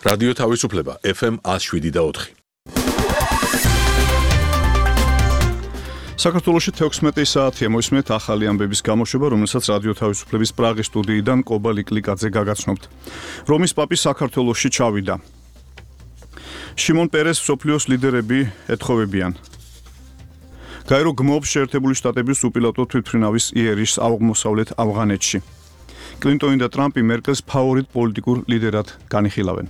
რადიო თავისუფლება FM 107.4. საქართველოში 16 საათია მოისმენთ ახალი ამბების გამოშვება, რომელსაც რადიო თავისუფლების პრაღის სტუდიიდან კობა ლიკლიკაძე გაგაცნობთ. რომის პაპი საქართველოში ჩავიდა. შიმონ პერეს მსოფლიოს ლიდერები ეთხოვებიან. გაირო გმობს შეერთებული შტატების უპილოტო თვითმფრინავის იერიშს აღმოსავლეთ ავღანეთში. კლინტონი და ტრამპი მერკელს ფავორიტ პოლიტიკურ ლიდერად განიხილავენ.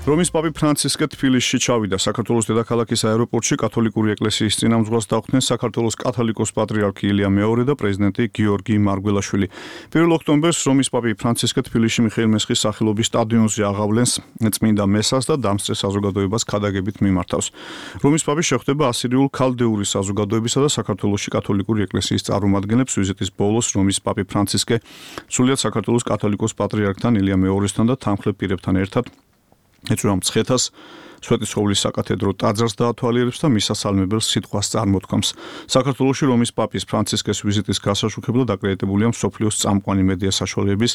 რომის პაპი ფრანცისკე თბილისში ჩავიდა. საქართველოს დედაქალაქის აეროპორტში კათოლიკური ეკლესიის წინამძღვრს დახვდნენ საქართველოს კათოლიკოს პატრიარქი ილია მეორე და პრეზიდენტი გიორგი მარგველაშვილი. 1 ოქტომბერს რომის პაპი ფრანცისკე თბილისში მიხეილ მესხის სახელობის სტადიონზე აღავლენს წმინდა მესას და დამსწრე საზოგადოებას ქადაგებით მიმართავს. რომის პაპი შეხვდება ასირიულ ქალდეური საზოგადოებისა და საქართველოში კათოლიკური ეკლესიის წარმომადგენლებს. ვიზიტის ბოლოს რომის პაპი ფრანცისკე სრულიად საქართველოს კათოლიკოს პატრიარქთან ილია მეორესთან და თანმხლებ პირებთან ერთად ეწვევა მცხეთას, სვეტიცხოვლის საკათედრო ტაძარს დაათვალიერებს და მისასალმებელ სიტყვას წარმოთქვამს. საქართველოში რომის პაპის ფრანცისკეს ვიზიტის გასაშუქებლად აკრედიტებულია მსოფლიოს წამყვანი მედია საშუალებების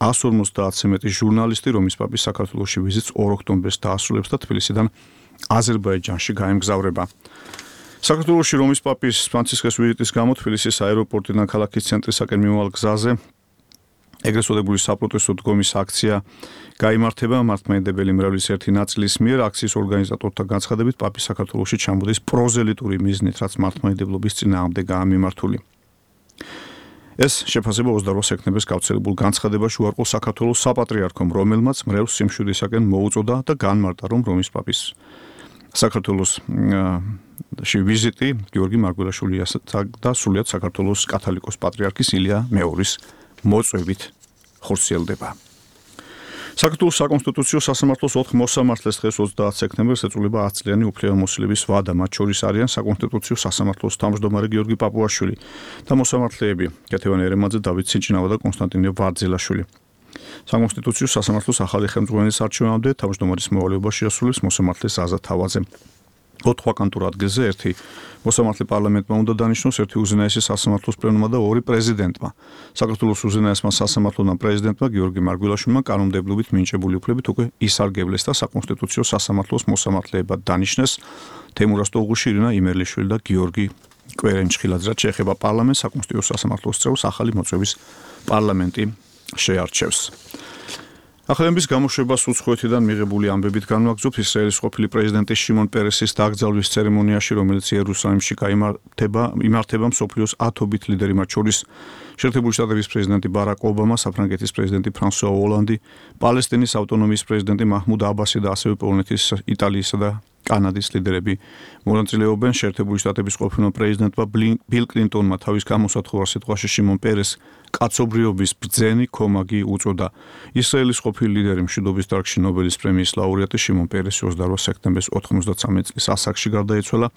150-ზე მეტი ჟურნალისტი. რომის პაპის საქართველოში ვიზიტს 2 ოქტომბერს დაასრულებს და თბილისიდან აზერბაიჯანში გაემგზავრება. საქართველოში რომის პაპის ფრანცისკეს ვიზიტის გამო თბილისის აეროპორტიდან ქალაქის ცენტრისაკენ მიმავალ გზაზე ეგრეთ წოდებული საპროტესტო დგომის აქცია გაიმართება. მართლმადიდებელი მრევლის ერთი ნაწილის მიერ აქციის ორგანიზატორთა განცხადებით პაპი საქართველოში ჩამოდის პროზელიტური მიზნით, რაც მართლმადიდებლობის წინააღმდეგ გამიმართული. ეს შეფასება 28 სექტემბერს გავრცელებულ განცხადებაში უარყო საქართველოს საპატრიარქომ, რომელმაც მრევლს სიმშვიდისაკენ მოუწოდა და განმარტა, რომ რომის პაპის საქართველოში ვიზიტი გიორგი მარგველაშვილის და სრულიად საქართველოს კათოლიკოს პატრიარქის ილია მეორის მოწვევით ხორციელდება. საქართველოს საკონსტიტუციო სასამართლოს 4 მოსამართლეს დღეს 30 სექტემბერს ეწუნება 10 წლიანი უფლებამოსილების ვადა. მათ შორის არიან საკონსტიტუციო სასამართლოს თავმჯდომარე გიორგი პაპუაშვილი და მოსამართლეები კეთევან ერემაძე, დავით სინჭნავა და კონსტანტინე ვარძელაშვილი. საკონსტიტუციო სასამართლოს ახალი ხელმძღვანელის არჩევამდე თავმჯდომარის მოვალეობა შეასრულებს მოსამართლე ზაზა თავაძე. 4 ვაკანტურ ადგილზე ერთი მოსამართლე პარლამენტმა უნდა დანიშნოს, ერთი უზენაესი სასამართლოს პლენუმმა და 2 პრეზიდენტმა. საქართველოს უზენაესმა სასამართლოდან პრეზიდენტმა გიორგი მარგველაშვილმა კანონმდებლობით მინიჭებული უფლებით უკვე ისარგებლეს და საკონსტიტუციო სასამართლოს მოსამართლეებად დანიშნეს თემურაზ ტოღუში, ირინა იმერლიშვილი და გიორგი კვერენჩხილაძე. რაც შეეხება პარლამენტს, საკონსტიტუციო სასამართლოს წევრს ახალი მოწვევის პარლამენტი შეარჩევს. ახალების გამოშვებას უცხოეთიდან მიღებული ამბებით განვაგრძობთ. ისრაელის ყოფილი პრეზიდენტის შიმონ პერესის დაკრძალვის ცერემონიაში, რომელიც იერუსალიმში იმართება მსოფლიოს 10 ლიდერი, მათ შორის შეერთებული შტატების პრეზიდენტი ბარაკ ობამა, საფრანგეთის პრეზიდენტი ფრანსუა ოლანდი, პალესტინის ავტონომიის პრეზიდენტი მაჰმუდ აბასი და ასევე პოლონეთის, იტალიისა და კანადის ლიდერები მონაწილეობენ. შეერთებული შტატების ყოფილმა პრეზიდენტმა ბილ კლინტონმა თავის გამოსათხოვარ სიტყვაში შიმონ პერეს კაცობრიობის ბრძენი ქომაგი უწოდა. ისრაელის ყოფილი ლიდერი, მშვიდობის დარგში ნობელის პრემიის ლაურეატი შიმონ პერესი 28 სექტემბერს 93 წლის ასაკში გარდაეცვალა.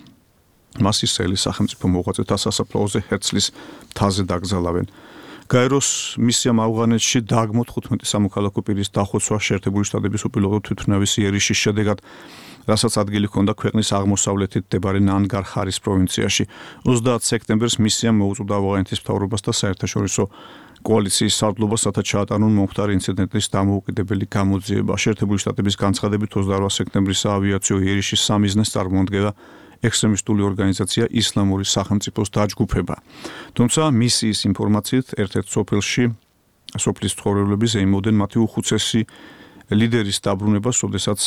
მას ისრაელის სახელმწიფო მოღვაწეთა სასაფლაოზე ჰერცლის მთაზე დაკრძალავენ. გაეროს მისიამ ავღანეთში დააგმოთ 15 სამოქალაქო პირის დახოცვა შეერთებული შტატების უპილოტო თვითმფრინავის იერიშის შედეგად, რასაც ადგილი ჰქონდა ქვეყნის აღმოსავლეთით მდებარე ნანგარჰარის პროვინციაში. 30 სექტემბერს მისიამ მოუწოდა ავღანეთის მთავრობას და საერთაშორისო კოალიციის სარდლობას, რათა ჩაატარონ მომხდარი ინციდენტის დამოუკიდებელი გამოძიება. შეერთებული შტატების განცხადებით 28 სექტემბრის საავიაციო იერიშის სამიზნეს წარმოადგენდა ექსტრემისტული ორგანიზაცია ისლამური სახელმწიფოს დაჯგუფება. თუმცა მისიის ინფორმაციით ერთ-ერთ სოფლის ცხოვრებლები ზეიმობდნენ მათი უხუცესი ლიდერის დაბრუნებას, როდესაც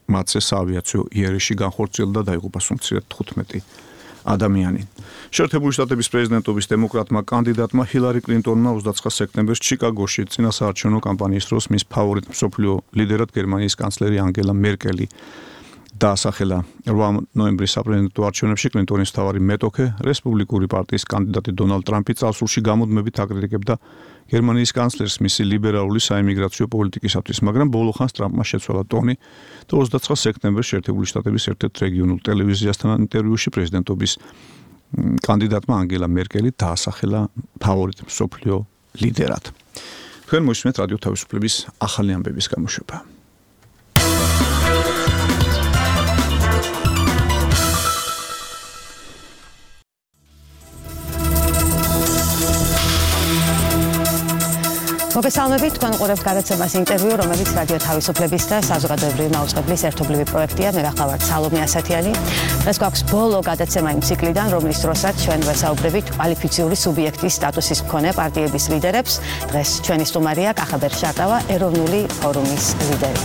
მათზე საავიაციო იერიში განხორციელდა და დაიღუპა სულ 15 ადამიანი. შეერთებული შტატების პრეზიდენტობის დემოკრატმა კანდიდატმა ჰილარი კლინტონმა 29 სექტემბერს ჩიკაგოში წინასაარჩევნო კამპანიის დროს მის ფავორიტ მსოფლიო ლიდერად გერმანიის კანცლერი ანგელა მერკელი დაასახელა. 8 ნოემბრის საპრეზიდენტო არჩევნებში კლინტონის მთავარი მეტოქე, რესპუბლიკური პარტიის კანდიდატი დონალდ ტრამპი წარსულში გამუდმებით აკრიტიკებდა გერმანიის კანცლერს მისი ლიბერალური საიმიგრაციო პოლიტიკისათვის, მაგრამ ბოლო ხანს ტრამპმა შეცვალა ტონი და 29 სექტემბერს შეერთებული შტატების ერთ-ერთ რეგიონულ ტელევიზიასთან ინტერვიუში პრეზიდენტობის კანდიდატმა ანგელა მერკელი დაასახელა ფავორიტ მსოფლიო ლიდერად. თქვენ მოისმენთ რადიო თავისუფლების ახალი ამბების გამოშვება. მოგესალმებით, თქვენ უყურებთ გადაცემას ინტერვიუ, რომელიც რადიო თავისუფლების და საზოგადოებრივი მაუწყებლის ერთობლივი პროექტია. მე ვახავართ სალომე ასათიანი. დღეს გვაქვს ბოლო გადაცემა იმ ციკლიდან, რომლის დროსაც ჩვენ ვესაუბრებით კვალიფიციური სუბიექტის სტატუსის მქონე პარტიების ლიდერებს. დღეს ჩვენი სტუმარია კახაბერ შარტავა, ეროვნული ფორუმის ლიდერი.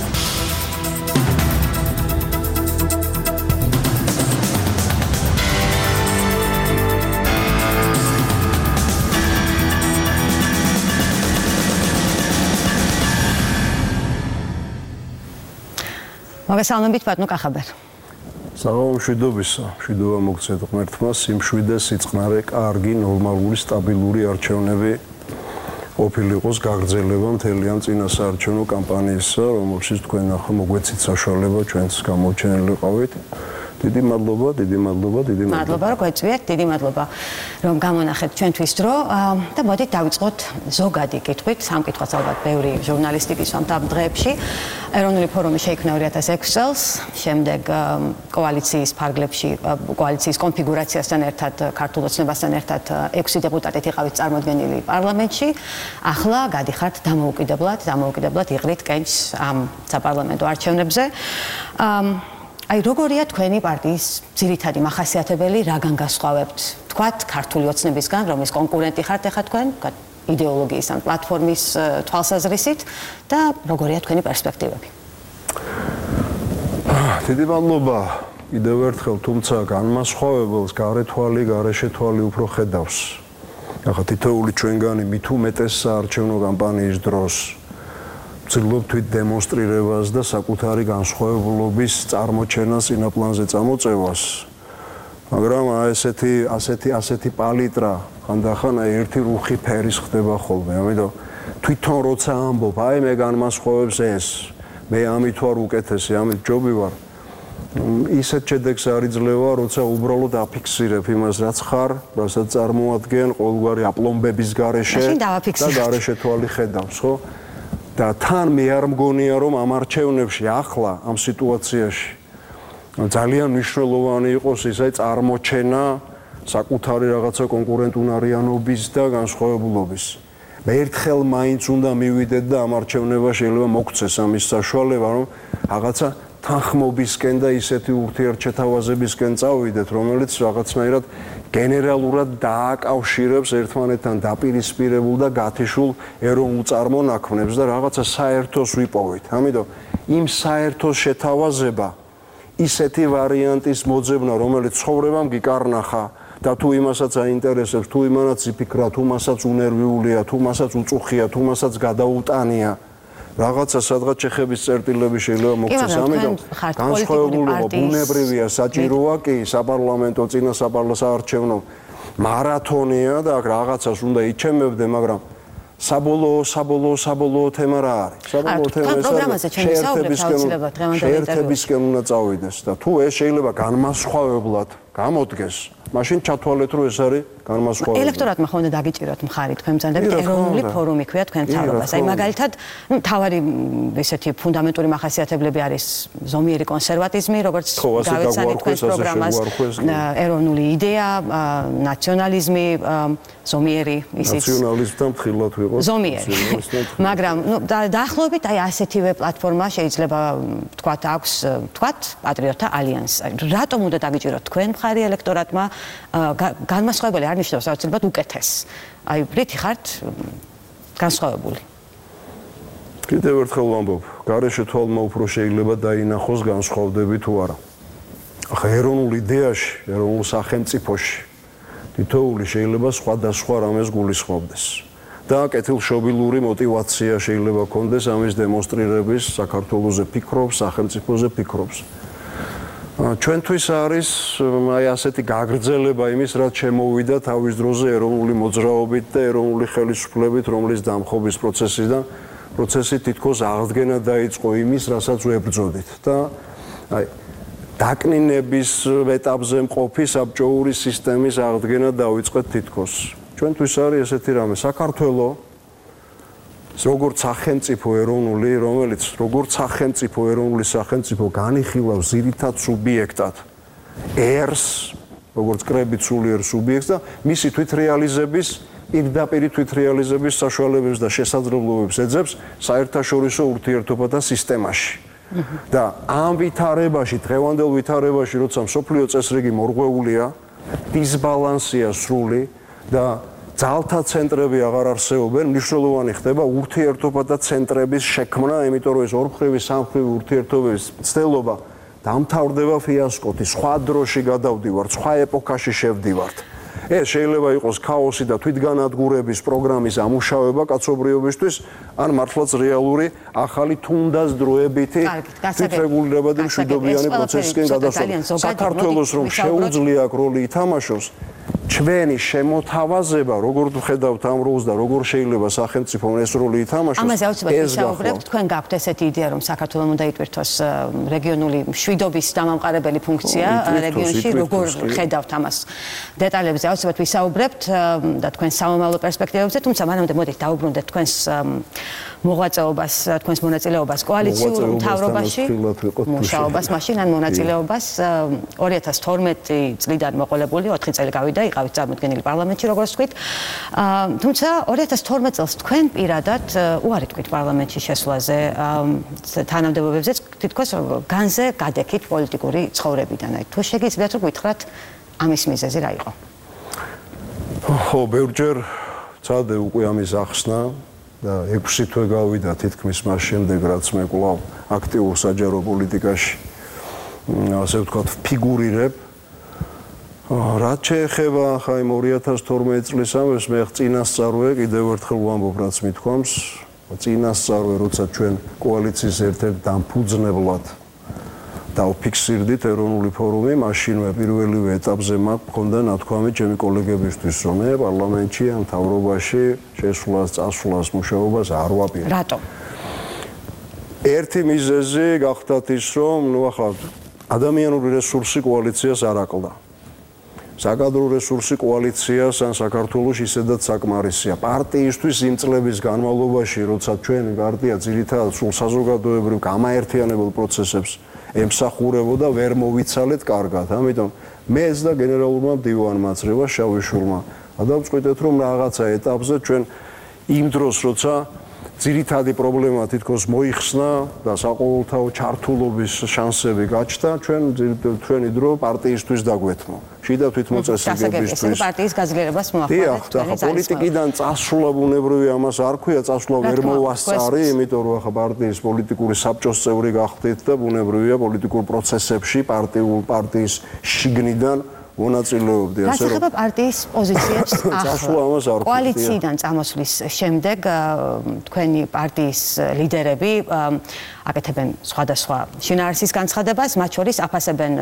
მოგესალმებით, ბატონო კახაბერ. საღამო მშვიდობისა, მშვიდობა მოგცეთ ღმერთმა, სიმშვიდე, სიწყნარე, კარგი, ნორმალური, სტაბილური არჩევნები ყოფილიყოს გაგრძელება მთელი ამ წინა საარჩევნო კამპანიისა, რომელშიც თქვენ ახლა მოგვეცით საშუალება ჩვენს გამორჩენილი ყავით. დიდი მადლობა, დიდი მადლობა, დიდი მადლობა. მადლობა, რომ გვეწვიეთ, დიდი მადლობა, რომ გამონახეთ ჩვენთვის დრო და მოდით დავიწყოთ ზოგადი კითხვით. სამკითხვას ალბათ ბევრი ჟურნალისტი გისვამთ ამ დღეებში. ეროვნული ფორუმი შეიქმნა 2006 წელს, შემდეგ კოალიციის ფარგლებში, კოალიციის კონფიგურაციასთან ერთად, ქართულ ოცნებასთან ერთად 6 დეპუტატით იყავით წარმოდგენილი პარლამენტში. ახლა გადიხართ დამოუკიდებლად იღრით კენჭს ამ საპარლამენტო არჩევნებზე. აი როგორია თქვენი პარტიის ძირითადი მახასიათებელი, რაგან გასხვავებთ? თქვათ ქართული ოცნებისგან, რომლის კონკურენტი ხართ ახლა თქვენ, იდეოლოგიის ან პლატფორმის თვალსაზრისით და როგორია თქვენი პერსპექტივები? დიდი მადლობა კიდევ ერთხელ, თუმცა განმასხვავებელს გარეთვალი, გარეშეთვალი უფრო ხედავს. ახლა თითოეული ჩვენგანი მით უმეტეს საარჩევნო კამპანიის დროს ვცდილობ თვით დემონსტრირებას და საკუთარი განსხვავებულობის წარმოჩენას წინაპლანზე წამოწევას. მაგრამ ასეთი პალიტრა ხანდახან ერთი რუხი ფერის ხდება ხოლმე. ამიტომ თვითონ როცა ამბობ, აი მე განმასხვავებს ეს, მე ამით ვარ უკეთესი, ამით ჯობი ვარ. ისეთ შედეგს არ იძლევა, როცა უბრალოდ აფიქსირებ იმას, რაც ხარ, რასაც წარმოადგენ ყოველგვარი აპლომბების გარეშე და გარეშე თვალი ხედავს, ხო? და თან მე არ მგონია, რომ ამ არჩევნებში ახლა ამ სიტუაციაში ძალიან მნიშვნელოვანი იყოს ის აი წარმოჩენა საკუთარი რაღაცა კონკურენტუნარიანობის და განსხვავებულობის. მე ერთხელ მაინც უნდა მივიდეთ და ამ არჩევნება შეიძლება მოგცეს ამის საშუალება, რომ რაღაცა თანხმობისკენ და ისეთი ურთიერთჩეთავაზებისკენ წავიდეთ, რომელიც რაღაცნაირად გენერალურად დააკავშირებს ერთმანეთთან დაპირისპირებულ და გათიშულ ეროვნულ წარმონაქმნებს და რაღაცა საერთოს ვიპოვით. ამიტომ იმ საერთოს შეთავაზება ისეთი ვარიანტის მოძებნა, რომელიც ცხოვრებამ გიკარნახა და თუ იმასაც აინტერესებს, თუ იმანაც იფიქრა, თუ მასაც უნერვიულია, თუ მასაც უწუხია, თუ მასაც გადაუტანია, რაღაცა სადღაც ჩეხების წერტილები შეიძლება მოგცეს. ამიტომ განსხვავებულობა ბუნებრივია, საჭიროა კი, საპარლამენტო წინა საარჩევნო მარათონია და აქ რაღაცას უნდა იჩემებდე, მაგრამ საბოლოო თემა რა არის? საბოლოო თემა შეერთებისკენ უნდა წავიდეს და თუ ეს შეიძლება განმასხვავებლად გამოდგეს, მაშინ ჩათვალეთ, რომ ეს არის განმასხვავებელი. ელექტორატმა ხომ უნდა დაგიჭიროთ მხარი, თქვენ ბრძანდებით ეროვნული ფორუმი ქვია თქვენ მთავრობას. აი მაგალითად, თავარი ესეთი ფუნდამენტური მახასიათებლები არის ზომიერი კონსერვატიზმი, როგორც გავეცანით თქვენს პროგრამას, ეროვნული იდეა, ნაციონალიზმი, ზომიერი ისიც ნაციონალიზმთან მხილად ვიყოს. ზომიერი. მაგრამ დაახლოებით აი ასეთივე პლატფორმა შეიძლება თქვათ აქვს, თქვათ პატრიოტთა ალიანსი. რატომ უნდა დაგიჭიროთ თქვენ მხარი ელექტორატმა? განმასხვავებელი არ ნიშნავს აუცილებლად უკეთეს. აი ბრითი ხართ განსხვავებული. კიდევ ერთხელ ვამბობ, გარეშე თვალმა უფრო შეიძლება დაინახოს განსხვავდები თუ არა. ახლა ეროვნულ იდეაში, ეროვნულ სახელმწიფოში თითოეული შეიძლება სხვადასხვა რამეს გულისხმობდეს. და კეთილშობილური мотиваცია შეიძლება ქონდეს ამის დემონსტრირების, საქართველოზე ფიქრობს, სახელმწიფოზე ფიქრობს. ჩვენთვის არის აი ასეთი გაგრძელება იმის, რაც შემოვიდა თავის დროზე ეროვნული მოძრაობით და ეროვნული ხელისუფლებით, რომლის დამხობის პროცესი თითქოს აღდგენა დაიწყო იმის, რასაც ვებრძოდით და აი დაკნინების ეტაპზე მყოფი საბჭოური სისტემის აღდგენა დაიწყეთ თითქოს. ჩვენთვის არის ესეთი რამე, საქართველოს როგორც სახელმწიფო ეროვნული, რომელიც როგორც ეროვნული სახელმწიფო განიხილავს ძირითად სუბიექტად ერს, როგორც კრებით სულიერ სუბიექტს და მისი თვითრეალიზების პირდაპირ თვითრეალიზების საშუალებებს და შესაძლებლობებს ეძებს საერთაშორისო ურთიერთობათა სისტემაში. და ამ ვითარებაში, დღევანდელ ვითარებაში, როცა მსოფლიო წესრიგი მორღვეულია, დისბალანსია სრული და ძალთა ცენტრები აღარ არსებობენ, მნიშვნელოვანი ხდება ურთიერთობათა ცენტრების შექმნა, იმიტომ რომ ეს ორმხრივი სამხრივი ურთიერთობების ცდელობა დამთავრდება ფიასკოთი, სხვა დროში გადავდივართ, სხვა ეპოქაში შევდივართ. ეს შეიძლება იყოს ქაოსი და თვითგანადგურების პროგრამის ამუშავება კაცობრიობისთვის, ან მართლაც რეალური ახალი თუნდაც დროებითი თვითრეგულირებადი მშვიდობიანი პროცესისკენ გადასვლა. საქართველოს რომ შეუძლია აქ როლი ითამაშოს, ჩვენი შემოთავაზება, როგორ ვხედავთ ამ როლს და როგორ შეიძლება სახელმწიფომ ეს როლი ითამაშოს, ამაზე აუცილებლად ვისაუბრებთ. თქვენ გაქვთ ესეთი იდეა, რომ საქართველოს უნდა იტვირთოს რეგიონული მშვიდობის დამამყარებელი ფუნქცია რეგიონში, როგორ ხედავთ ამას? დეტალებზე აუცილებლად ვისაუბრებთ და თქვენ სამომავლო პერსპექტივებზე, თუმცა მანამდე მოდით დავუბრუნდეთ თქვენს მოღვაწეობას, თქვენს მონაწილეობას კოალიციურ მთავრობაში, მუშაობას მაშინ ან მონაწილეობას 2012 წლიდან მოყოლებული 4 წელი გავიდა, იყავით წარმოდგენილი პარლამენტში, როგორც ვთქვით. თუმცა 2012 წელს თქვენ პირადად უარი თქვით პარლამენტში შესვლაზე, თანამდებობებზეც თითქოს განზე გადეკით პოლიტიკური ცხოვრებიდან. თუ შეგიძლიათ რომ გითხრათ ამის მიზეზი რა იყო? ხო, ბევრჯერ წადე უკვე ამის ახსნა და 6 თვე გავიდა თითქმის მას შემდეგ, რაც მე კვლავ აქტიურ საჯარო პოლიტიკაში ასე ვთქვათ ფიგურირებ. რაც შეეხება ხა იმ 2012 წლის ამბებს, მე წინასწარვე კიდევ ერთხელ ვამბობ, რაც მithქვამს, წინასწარვე, როცა ჩვენ კოალიციის ერთ-ერთ დამფუძნებლად დავფიქსირდით ეროვნული ფორუმი, მაშინვე პირველივე ეტაპზე მქონდა ნათქვამი ჩემი კოლეგებისთვის, რომ მე პარლამენტში ან მთავრობაში შესვლას, წასვლას, მუშაობას არ ვაპირებ. რატო? ერთი მიზეზი გახდათ ის, რომ ნუ ახლა ადამიანური რესურსი კოალიციას არ აკლდა. საკადრო რესურსი კოალიციას ან საქართველოს ისედაც საკმარისია. პარტიისთვის იმ წლების განმავლობაში, როცა ჩვენი პარტია ძირითადად სულ საზოგადოებრივ გამაერთიანებელ პროცესებს ემსახურებოდა, ვერ მოვიცალეთ კარგად. ამიტომ მეც და გენერალურმა მდივანმა წრევა შავიშვილმა გადავწყვიტეთ, რომ რაღაცა ეტაპზე ჩვენ იმ დროს, როცა ძირითადი პრობლემა თითქოს მოიხსნა და საყოველთაო ჩართულობის შანსები გაჩნდა, ჩვენი დრო პარტიისთვის დაგვეთმო. შიდა თვითმოწესრიგებისთვის პარტიის გაძლიერებას მოახდინეთ. და პოლიტიკიდან წასვლა ბუნებრივი ამას არ ქვია, წასვლა ვერ მოვასწარი, იმიტომ რომ ახლა პარტიის პოლიტიკური საბჭოს წევრი გახდით და ბუნებრივია პოლიტიკურ პროცესებში პარტიის შიგნიდან მონაწილეობდი, ასე რომ პარტიის პოზიციებს ახლა კოალიციიდან წამოსვლის შემდეგ თქვენი პარტიის ლიდერები აკეთებენ სხვადასხვა შინაარსის განცხადებას, მათ შორის აფასებენ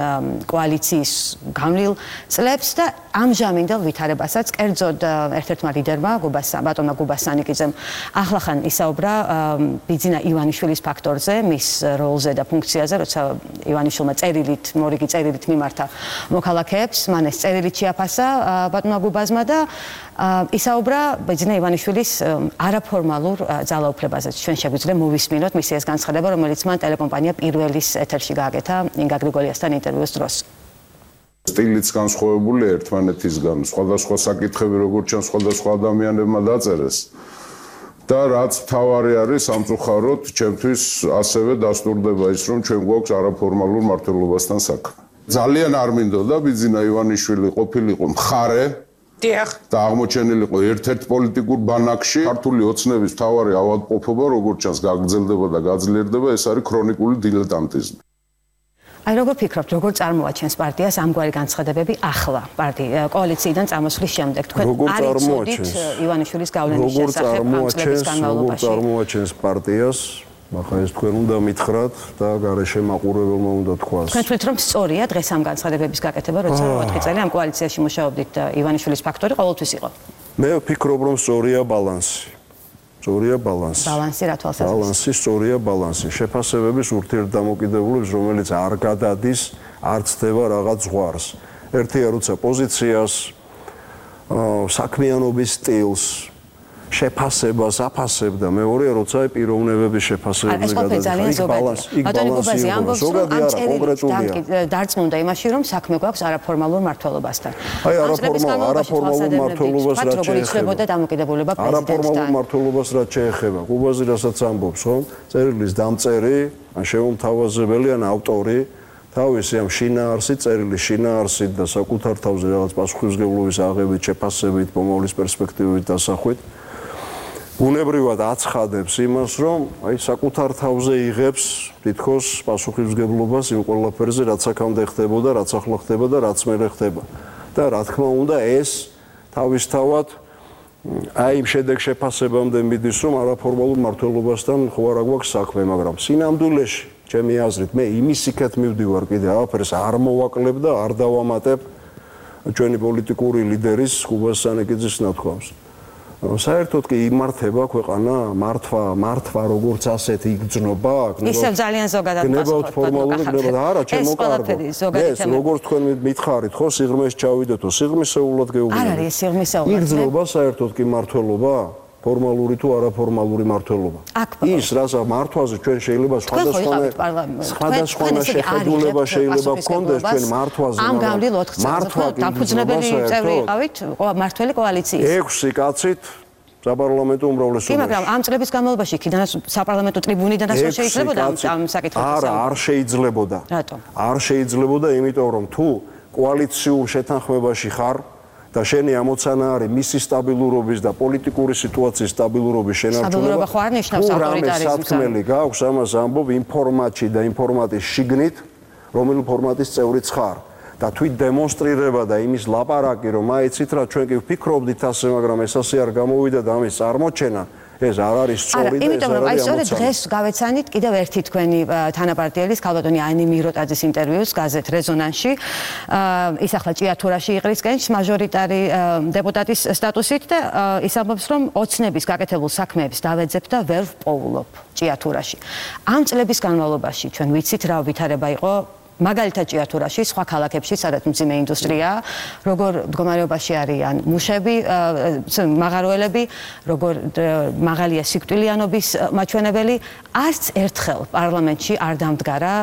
კოალიციის გამლილ წლებს და ამჟამინდელ ვითარებასაც კერძოდ ერთ-ერთმა ლიდერმა ბატონმა გუბასანიკიძემ ახლახან ისაუბრა ბიძინა ივანიშვილის ფაქტორზე, მის როლზე და ფუნქციაზე, როცა ივანიშვილმა მორიგი წერილით მიმართა მოქალაქეებს, მან ეს წერილით შეაფასა ბატონმა გუბაზმა და ისაუბრა ბიძინა ივანიშვილის არაფორმალურ ძალაუფლებაზე. ჩვენ შეგვიძლია მოვისმინოთ მისი ეს განცხადება, რომელიც მან ტელეკომპანია პირველის ეთერში გააკეთა ინგა გრიგოლიასთან ინტერვიუს დროს. სტილიც განსხვავებული ერთმანეთისგან, სხვადასხვა საკითხები როგორც ჩანს სხვადასხვა ადამიანებმა დაწერეს. და რაც თავარი არის სამწუხაროდ, ჩემთვის ასევე დასტურდება ის, რომ ჩვენ გვაქვს არაფორმალურ მმართველობასთან საქმე. ძალიან არ მინდოდა ბიძინა ივანიშვილი ყოფილიყო მხარე და აღმოჩენილიყო ერთ-ერთ პოლიტიკურ ბანაკში. ქართული ოცნების მთავარი ავადმყოფობა, როგორც ჩანს, გაგრძელდება და გაძლიერდება, ეს არის ქრონიკული დილეტანტიზმი. აი როგორ ფიქრობთ, როგორ წარმოაჩენს პარტიას ამგვარი განცხადებები ახლა კოალიციიდან წამოსვლის შემდეგ? თქვენ არ იცოდით ივანიშვილის გავლენის შესახებ ამ წლების განმავლობაში? როგორ წარმოაჩენს პარტიას? ახლა ეს თქვენ უნდა მითხრათ და გარეშე მაყურებელმა უნდა თქვას. თქვენ თვლით, რომ სწორია დღეს ამ განცხადებების გაკეთება, როცა 4 წელი ამ კოალიციაში მუშაობდით და ივანიშვილის ფაქტორი ყოველთვის იყო? მე ვფიქრობ, რომ სწორია ბალანსი. ბალანსი რა თვალსაზრისით? ბალანსი, სწორია ბალანსი. შეფასებების ურთიერთდამოკიდებულების, რომელიც არ გადადის, არ ცდება რაღაც ზღვარს. ერთია, როცა პოზიციას, საქმიანობის სტილს შეფასებას აფასებდა, მეორეა როცა პიროვნებების შეფასებები დარწმუნდა იმაში, რომ საქმე გვაქვს არაფორმალურ მმართველობასთან. აი არაფორმალურ მმართველობას რაც შეეხება დამოკიდებულება პრეზიდენტთან. არაფორმალურ მმართველობას რაც შეეხება, ყუბაზი რასაც ამბობს, რომ წერილის დამწერი, ან შემომთავაზებელი, ან ავტორი თავისი ამ შინაარსით, წერილის შინაარსით და საკუთარ თავზე რაღაც პასუხისმგებლობის აღებით, შეფასებით, მომავლის პერსპექტივებით დასახვით ბუნებრივად აცხადებს იმას, რომ აი საკუთარ თავზე იღებს თითქოს პასუხისმგებლობას იმ ყველაფერზე, რაც აქამდე ხდებოდა, რაც ახლა ხდება და რაც მერე ხდება. და რა თქმა უნდა, ეს თავისთავად აი იმ შედეგ შეფასებამდე მიდის, რომ არაფორმალურ მმართველობასთან ხო არა გვაქვს საქმე, მაგრამ სინამდვილეში, ჩემი აზრით, მე იმის იქეთ მივდივარ კიდე არაფერს არ მოვაკლებ და არ დავამატებ ჩვენი პოლიტიკური ლიდერის ყუბას სანიკიძის ნათქვამს. საერთოდ კი იმართება ქვეყანა მართვა როგორც ასეთი იგრძნობა ისევ ძალიან ზოგადად გნებავთ ფორმალური გნებავთ არა ჩემო კარგო ეს როგორც თქვენ მითხარით ხო სიღრმეს ჩავიდეთო სიღრმისეულად გეუბნები არ არის სიღრმისეულად იგრძნობა საერთოდ კი მართლობა ფორმალური თუ არაფორმალური მართლობა ის რასაც მართვაზე ჩვენ შეიძლება სხვადასხვა შეხედულება შეიძლება გქონდეს ჩვენ მართვაზე ამ გავლილ 4 წელს დაფუძნებელი წევრი იყავით მართველი კოალიციის 6 კაცით საპარლამენტო უმრავლესობაში. კი, მაგრამ ამ წლების განმავლობაში იქიდანაც საპარლამენტო ტრიბუნიდანაც არ შეიძლებოდა ამ საკითხებს. არ შეიძლებოდა. რატომ? არ შეიძლება, იმიტომ რომ თუ კოალიციურ შეთანხმებაში ხარ და შენი ამოცანა არის მისი სტაბილურობის და პოლიტიკური სიტუაციის სტაბილურობის შენარჩუნება. სტაბილურობა ხო არ ნიშნავს ავტორიტარიზმს. სათქმელი გაქვს ამას ამბობ იმ ფორმატში და იმ ფორმატის შიგნით, რომელი ფორმატის წევრიც ხარ. და თვით დემონსტრირება და იმის ლაპარაკი რომ აიცით რა ჩვენ კი ვფიქრობდით ასე მაგრამ ეს ასე არ გამოვიდა და ამის წარმოჩენა ეს არ არის სწორი და ეს არ არის ამოცანა. სწორედ დღეს გავეცანით კიდევ ერთი თქვენი თანაპარტიელის ქალბატონი ანი მიროტაძის ინტერვიუს გაზეთ რეზონანსში. ის ახლა ჭიათურაში იყრისკენ მაჟორიტარი დეპუტატის სტატუსით და ის ამბობს რომ ოცნების გაკეთებულ საქმეებს დავეძებ და ვერ ვპოულობ ჭიათურაში. ამ წლების განმავლობაში ჩვენ ვიცით რა ვითარება იყო მაგალითად ჭიათურაში, სხვა ქალაქებში, სადაც მძიმე ინდუსტრიაა, როგორ მდგომარეობაში არიან მუშები, მაღაროელები, როგორ მაღალია სიკვდილიანობის მაჩვენებელი, არც ერთხელ პარლამენტში არ დამდგარა,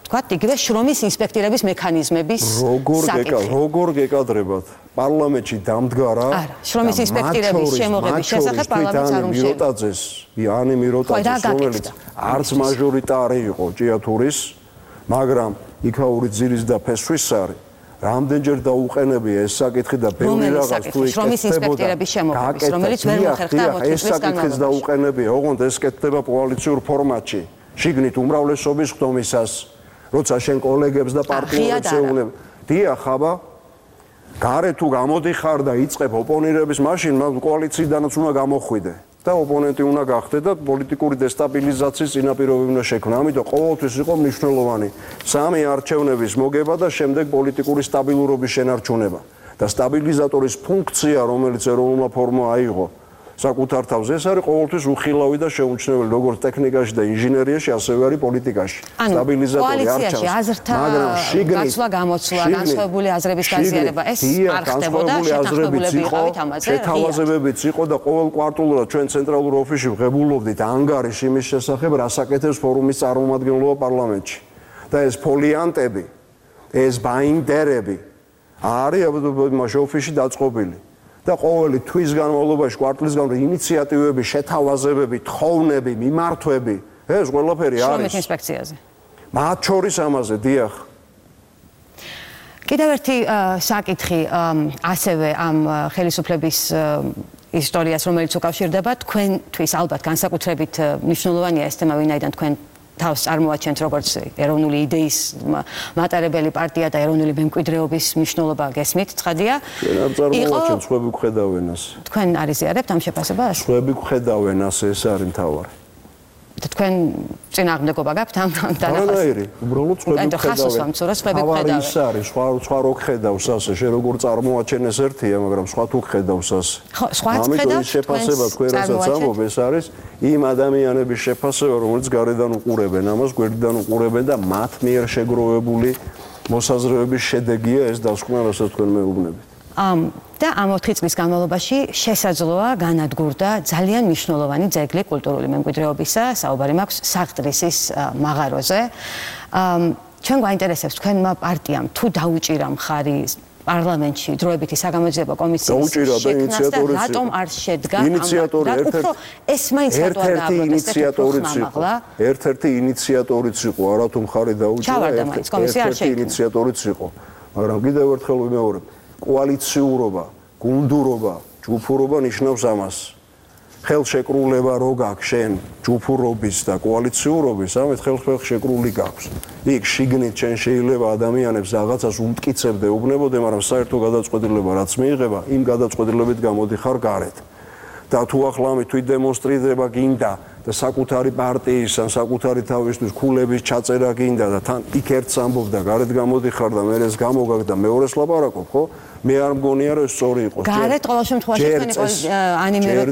თქვათ, იგივე შრომის ინსპექტირების მექანიზმების საკითხი. როგორ გეკადრებათ? პარლამენტში დამდგარა? არა, შრომის ინსპექტირების შემოღების შესახებ პარლამენტს არ უმშევს. ანი მიროტაძის, რომელიც არც მაჟორიტარი იყო ჭიათურის, მაგრამ იქაური ძირის და ფესვის სარი რამდენჯერ დაუყენებია ეს საკითხი და ბევრი რაღაც თუ შრომის ინსპექტირების შემოღების რომელიც ვერ მოხერხდა ეს საკითხიც დაუყენებია ოღონდ ეს კეთდება კოალიციურ ფორმატში შიგნით უმრავლესობის ხდომისას როცა შენ კოლეგებს და პარტნიორებს ეუბნები დიახ აბა გარეთ თუ გამოდიხარ და იწყებ ოპონირების მაშინ კოალიციიდანაც უნდა გამოხვიდე და ოპონენტი უნდა გახდე და პოლიტიკური დესტაბილიზაციის წინაპირობები უნდა შექმნა. ამიტომ ყოველთვის იყო მნიშვნელოვანი სამი არჩევნების მოგება და შემდეგ პოლიტიკური სტაბილურობის შენარჩუნება. და სტაბილიზატორის ფუნქცია, რომელიც ეროვნულმა ფორმამ აიღო საკუთარ თავზე, ეს არის ყოველთვის უხილავი და შეუმჩნეველი როგორც ტექნიკაში და ინჟინერიაში, ასევე არის პოლიტიკაში. სტაბილიზატორი არჩევს, მაგრამ შიგნით გაცვლა გამოცვლა, განსხვავებული აზრების გაზიარება, ეს არ ხდებოდა, შეთანხმებულები იყავით ამაზე. შეთავაზებებიც იყო და ყოველ კვარტალურად ჩვენ ცენტრალურ ოფისში ვღებულობდით ანგარიშ იმის შესახებ, რა საკეთებს ფორუმის წარმომადგენლობა პარლამენტში. და ეს ფოლიანტები, ეს ბაინდერები არის ამ ოფისში დაწყობილი. და ყოველი თვის განმავლობაში კვარტლის განმავლობაში ინიციატივები, შეთავაზებები, თხოვნები, მიმართვები, ეს ყველაფერი არის. შრომის ინსპექციაზე. მათ შორის ამაზე, დიახ. კიდევ ერთი საკითხი ასევე ამ ხელისუფლების ისტორიას, რომელიც უკავშირდება თქვენთვის ალბათ განსაკუთრებით მნიშვნელოვანია ეს თემა, ვინაიდან თქვენ თავს წარმოაჩენთ როგორც ეროვნული იდეის მატარებელი პარტია და ეროვნული მემკვიდრეობის მნიშვნელობა გესმით, ცხადია. არ წარმოაჩენთ, სხვები გვხედავენ ასე. თქვენ არიზიარებთ ამ შეფასებას? სხვები გვხედავენ ასე, ეს არის მთავარი. და თქვენ წინააღმდეგობა გაქვთ ამ დანახვას? არანაირი, უბრალოდ სხვები გვხედავენ. ხასოს ვამცურა, სხვები გვხედავენ. ის არის, სხვა რო ხედავს ასე, შენ როგორ წარმოაჩენეს ერთია, მაგრამ სხვა თუ ხედავს ასე. ხო, სხვაც ხედავს. ამიტომ შეფასება თქვენ რასაც ამბობ, ეს არის იმ ადამიანების შეფასება, რომელიც გარედან უყურებენ ამას, გვერდიდან უყურებენ და მათ მიერ შეგროვებული მოსაზრებების შედეგია ეს დასკვნა, რასაც თქვენ მეუბნებით. და ამ 4 წლის განმავლობაში შესაძლოა განადგურდა ძალიან მნიშვნელოვანი ძეგლი კულტურული მემკვიდრეობისა, საუბარი მაქვს საღდრისის მაღაროზე. ჩვენ გვაინტერესებს თქვენმა პარტიამ თუ დაუჭირა მხარი პარლამენტში დროებითი საგამოძიებო კომისიის შექმნას და რატომ არ შედგა ეს მაინც ერთ-ერთი ინიციატორიც იყო, არათუ მხარი დაუჭირა, ერთ-ერთი ინიციატორიც იყო. მაგრამ კიდევ ერთხელ ვიმეორებ, კოალიციურობა, გუნდურობა, ჯგუფურობა ნიშნავს ამას. ხელშეკრულება რო გაქვს შენ ჯგუფურობის და კოალიციურობის, ამით ხელშეკრული გაქვს. იქ შიგნით შენ შეიძლება ადამიანებს რაღაცას უმტკიცებდე, უბნებოდე, მაგრამ საერთო გადაწყვეტილება რაც მიიღება, იმ გადაწყვეტილებით გამოდიხარ გარეთ. და თუ ახლა ამით თვით დემონსტრირება გინდა და საკუთარი პარტიის ან საკუთარი თავისთვის ქულების ჩაწერა გინდა და თან იქ ერთს ამბობ და გარეთ გამოდიხარ და მერეს გამოგაგ და მეორეს ლაპარაკობ, ხო? მე არ მგონია რომ სწორი იყოს. გარეთ ყოველ შემთხვევაში თქვენი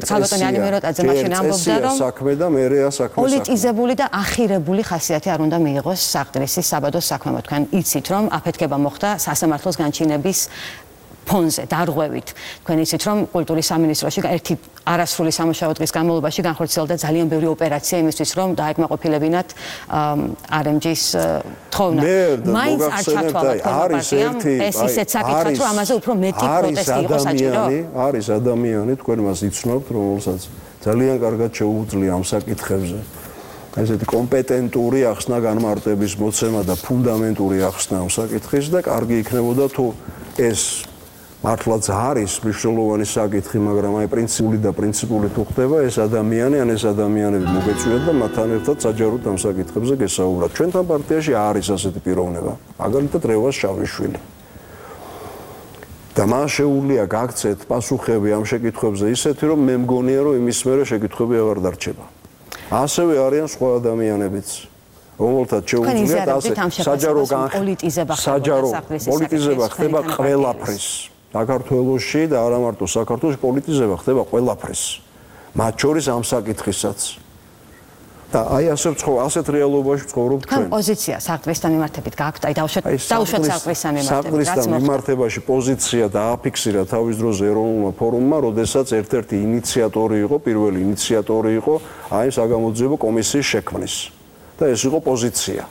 ქალბატონი ანიმეროტაძე მაშინ ამბობდა რომ საქმე და მერეა საქმე. პოლიტიზებული და ახირებული ხასიათი არ უნდა მიიღოს საღდრისის საბადოს საქმემ. თქვენ იცით რომ აფეთქება მოხდა სასამართლოს განჩინების ფონზე დარღვევით. თქვენ იცით რომ კულტურის სამინისტროში ერთი არასრული სამუშაო დღის განმავლობაში განხორციელდა ძალიან ბევრი ოპერაცია იმისთვის რომ დაეკმაყოფილებინათ RMG-ის თხოვნა. მაინც არ ჩათვალა ეს ისეთ საკითხად რომ ამაზე უფრო მეტი პროტესტი იყო საჭირო. არის ადამიანი, თქვენ მას იცნობთ, რომელსაც ძალიან კარგად შეუძლია ამ საკითხებზე. ესეთი კომპეტენტური ახსნა განმარტების მოცემა და ფუნდამენტური ახსნა ამ საკითხის და კარგი იქნებოდა თუ ეს მართლაც არის მნიშვნელოვანი საკითხი, მაგრამ აი პრინციპული თუ ხდება ეს ადამიანი ან ეს ადამიანები მოგეწვიათ და მათთან ერთად საჯაროდ ამ საკითხებზე გესაუბრათ. ჩვენთან პარტიაში არის ასეთი პიროვნება, მაგალითად რევას შავიშვილი. და მას შეუძლია გაქცეთ პასუხები ამ შეკითხვებზე ისეთი, რომ მე მგონია, რომ იმის მერე შეკითხვები აღარ დარჩება. ასევე არიან სხვა ადამიანებიც. რომელთაც შეუძლიათ ასე საჯარო პოლიტიზება ხდება ყველაფრის. საქართველოში და არა მარტო საქართველოში პოლიტიზება ხდება ყველაფრის. მათ შორის ამ საკითხისაც. და აი ასეთ რეალობაში ცხოვრობ ჩვენ. თქვენ პოზიცია საღდრისთან მიმართებით გაქვთ? აი დაუშვათ საღდრისთან მიმართებით. საღდრისთან მიმართებაში პოზიცია დააფიქსირა თავის დროზე ეროვნულმა ფორუმმა, როდესაც ერთ-ერთი ინიციატორი იყო, პირველი ინიციატორი იყო აი საგამოძიებო კომისიის შექმნის. და ეს იყო პოზიცია.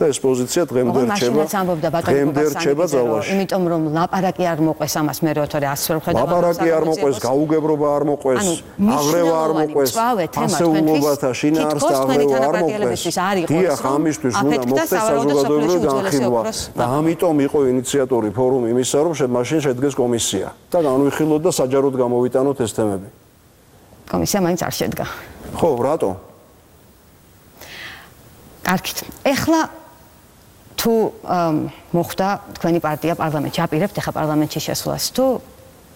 და ეს პოზიცია დღემდე რჩება ძალაში. იმიტომ რომ ლაპარაკი არ მოყვეს ამას მე როთორე ასე რომ ხედავ. ლაპარაკი არ მოყვეს, გაუგებრობა არ მოყვეს, აღრევა არ მოყვეს, ასეულობათა შინაარს და აღრევა არ მოყვეს. დიახ, ამისთვის უნდა მოხდეს საზოგადოებრივი განხილვა და ამიტომ იყო ინიციატორი ფორუმი იმისა, რომ მაშინ შედგეს კომისია და განვიხილოთ და საჯაროდ გამოვიტანოთ ეს თემები. კომისია მაინც არ შედგა. ხო, რატო? კარგით. ეხლა თუ მოხდა თქვენი პარტია პარლამენტში, აპირებთ ახლა პარლამენტში შესვლას თუ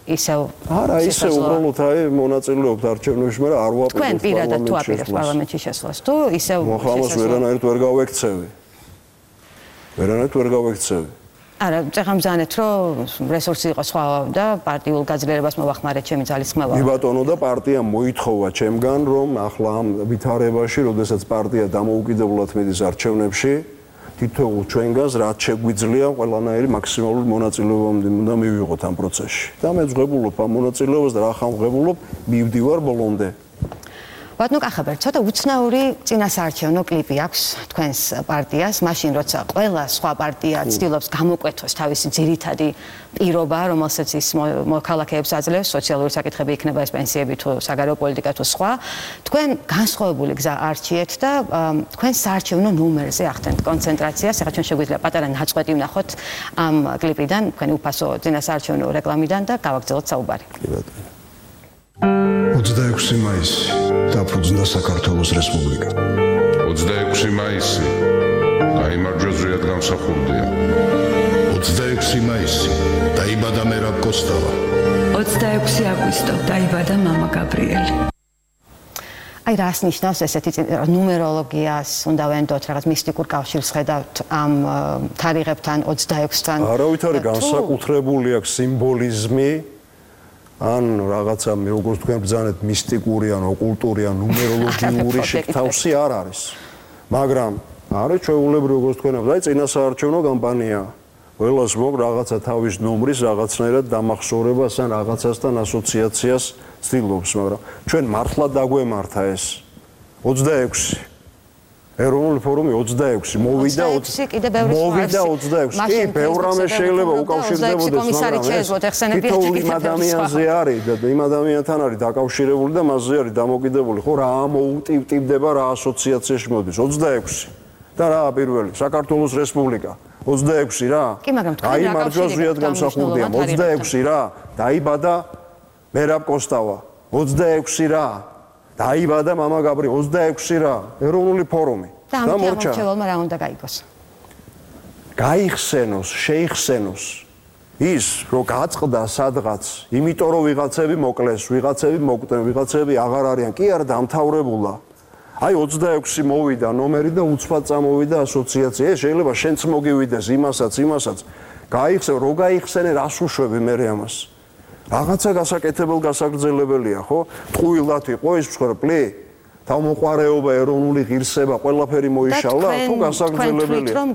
ისევ არა, ისევ უბრალოდ აი მონაწილეობთ არჩევნებში, მაგრამ არ ვაპირებთ თქვენ პირადად თუ აპირებთ პარლამენტში შესვლას თუ ისევ მოხამას ვერანაირად ვერ გავექცევი. არა, წეხამძანეთ რომ რესურსი იყო სხვა და პარტიულ გაძლიერებას მოვახმარეთ ჩემი ძალის ხმევა. კი ბატონო და პარტიამ მოითხოვა ჩემგან რომ ახლა ამ ვითარებაში, როდესაც პარტია დამოუკიდებლად მიდის არჩევნებში, თითოეულ ჩვენგანს რაც შეგვიძლია ყველანაირი მაქსიმალური მონაწილეობა უნდა მივიღოთ ამ პროცესში. და მე ვღებულობ ამ მონაწილეობას და რა ხამღებულობ, მივდივარ ბოლომდე. ბატონო კახაბერ, ცოტა უცნაური წინასაარჩევნო კლიპი აქვს თქვენს პარტიას, მაშინ როცა ყველა სხვა პარტია ცდილობს გამოკვეთოს თავისი ძირითადი პირობა, რომელსაც ის მოქალაქეებს აძლევს, სოციალური საკითხები იქნება ეს პენსიები თუ საგარეო პოლიტიკა თუ სხვა, თქვენ განსხვავებული გზა არჩიეთ და თქვენ საარჩევნო ნომერზე ახდენთ კონცენტრაციას, ახლა ჩვენ შეგვიძლია პატარა ნაწყვეტი ვნახოთ ამ კლიპიდან, თქვენი უფასო წინასაარჩევნო რეკლამიდან და გავაგრძელოთ საუბარი. 26 მაისი დაფუძნდა საქართველოს რესპუბლიკა. 26 მაისი გაიმარჯვა ზრიად გამსახურდია. 26 მაისი დაიბადა მერაბ კოსტავა. 26 აგვისტო დაიბადა მამა გაბრიელი. აი რას ნიშნავს ესეთი ნუმეროლოგიას უნდა ვენდოთ რაღაც მისტიკურ კავშირს ხედავთ ამ თარიღებთან 26-თან? არავითარი განსაკუთრებული აქვს სიმბოლიზმი ან რაღაცა როგორც თქვენ ბრძანეთ მისტიკური ან ოკულტური ან ნუმეროლოგიური შეთავსი არ არის. მაგრამ არის ჩვეულებრივ როგორც თქვენ აი წინასაარჩევნო კამპანია ყველას მოგ რაღაცა თავის ნომრის რაღაცნაირად დამახსოვრებას ან რაღაცასთან ასოციაციას ცდილობს, მაგრამ ჩვენ მართლა დაგვემართა ეს 26 ეროვნული ფორუმი 26 მოვიდა 26 კი ბევრ რამე შეიძლება უკავშირდებოდეს მაგრამ თითოეული ადამიანზე არის და იმ ადამიანთან არის დაკავშირებული და მასზე არის დამოკიდებული ხო რა მოუტივტივდება რა ასოციაციაში მოდის 26 და რა პირველი საქართველოს რესპუბლიკა 26 რა აი მარჯვას ზიად გამსახურდია 26 რა დაიბადა მერაბ კოსტავა 26 რა დაიბადა მამა გაბრიელი 26 რა ეროვნული ფორუმი და ამორჩეველმა რა უნდა გაიგოს გაიხსენოს შეიხსენოს ის რომ გაწყდა სადღაც იმიტომ რომ ვიღაცები მოკლეს ვიღაცები მოკვდნენ ვიღაცები აღარ არიან კი არა დამთავრებულა აი 26 მოვიდა ნომერი და უცბად წამოვიდა ასოციაცია ეს შეიძლება შენც მოგივიდეს იმასაც გაიხსენ რო გაიხსენე რას უშვები მე ამას რაღაცა გასაკეთებელ გასაგრძელებელია ხო ტყუილად იყო ის მსხვერპლი თავმოყარეობა ეროვნული ღირსება ყველაფერი მოიშალა თუ გასაგრძელებელია რომ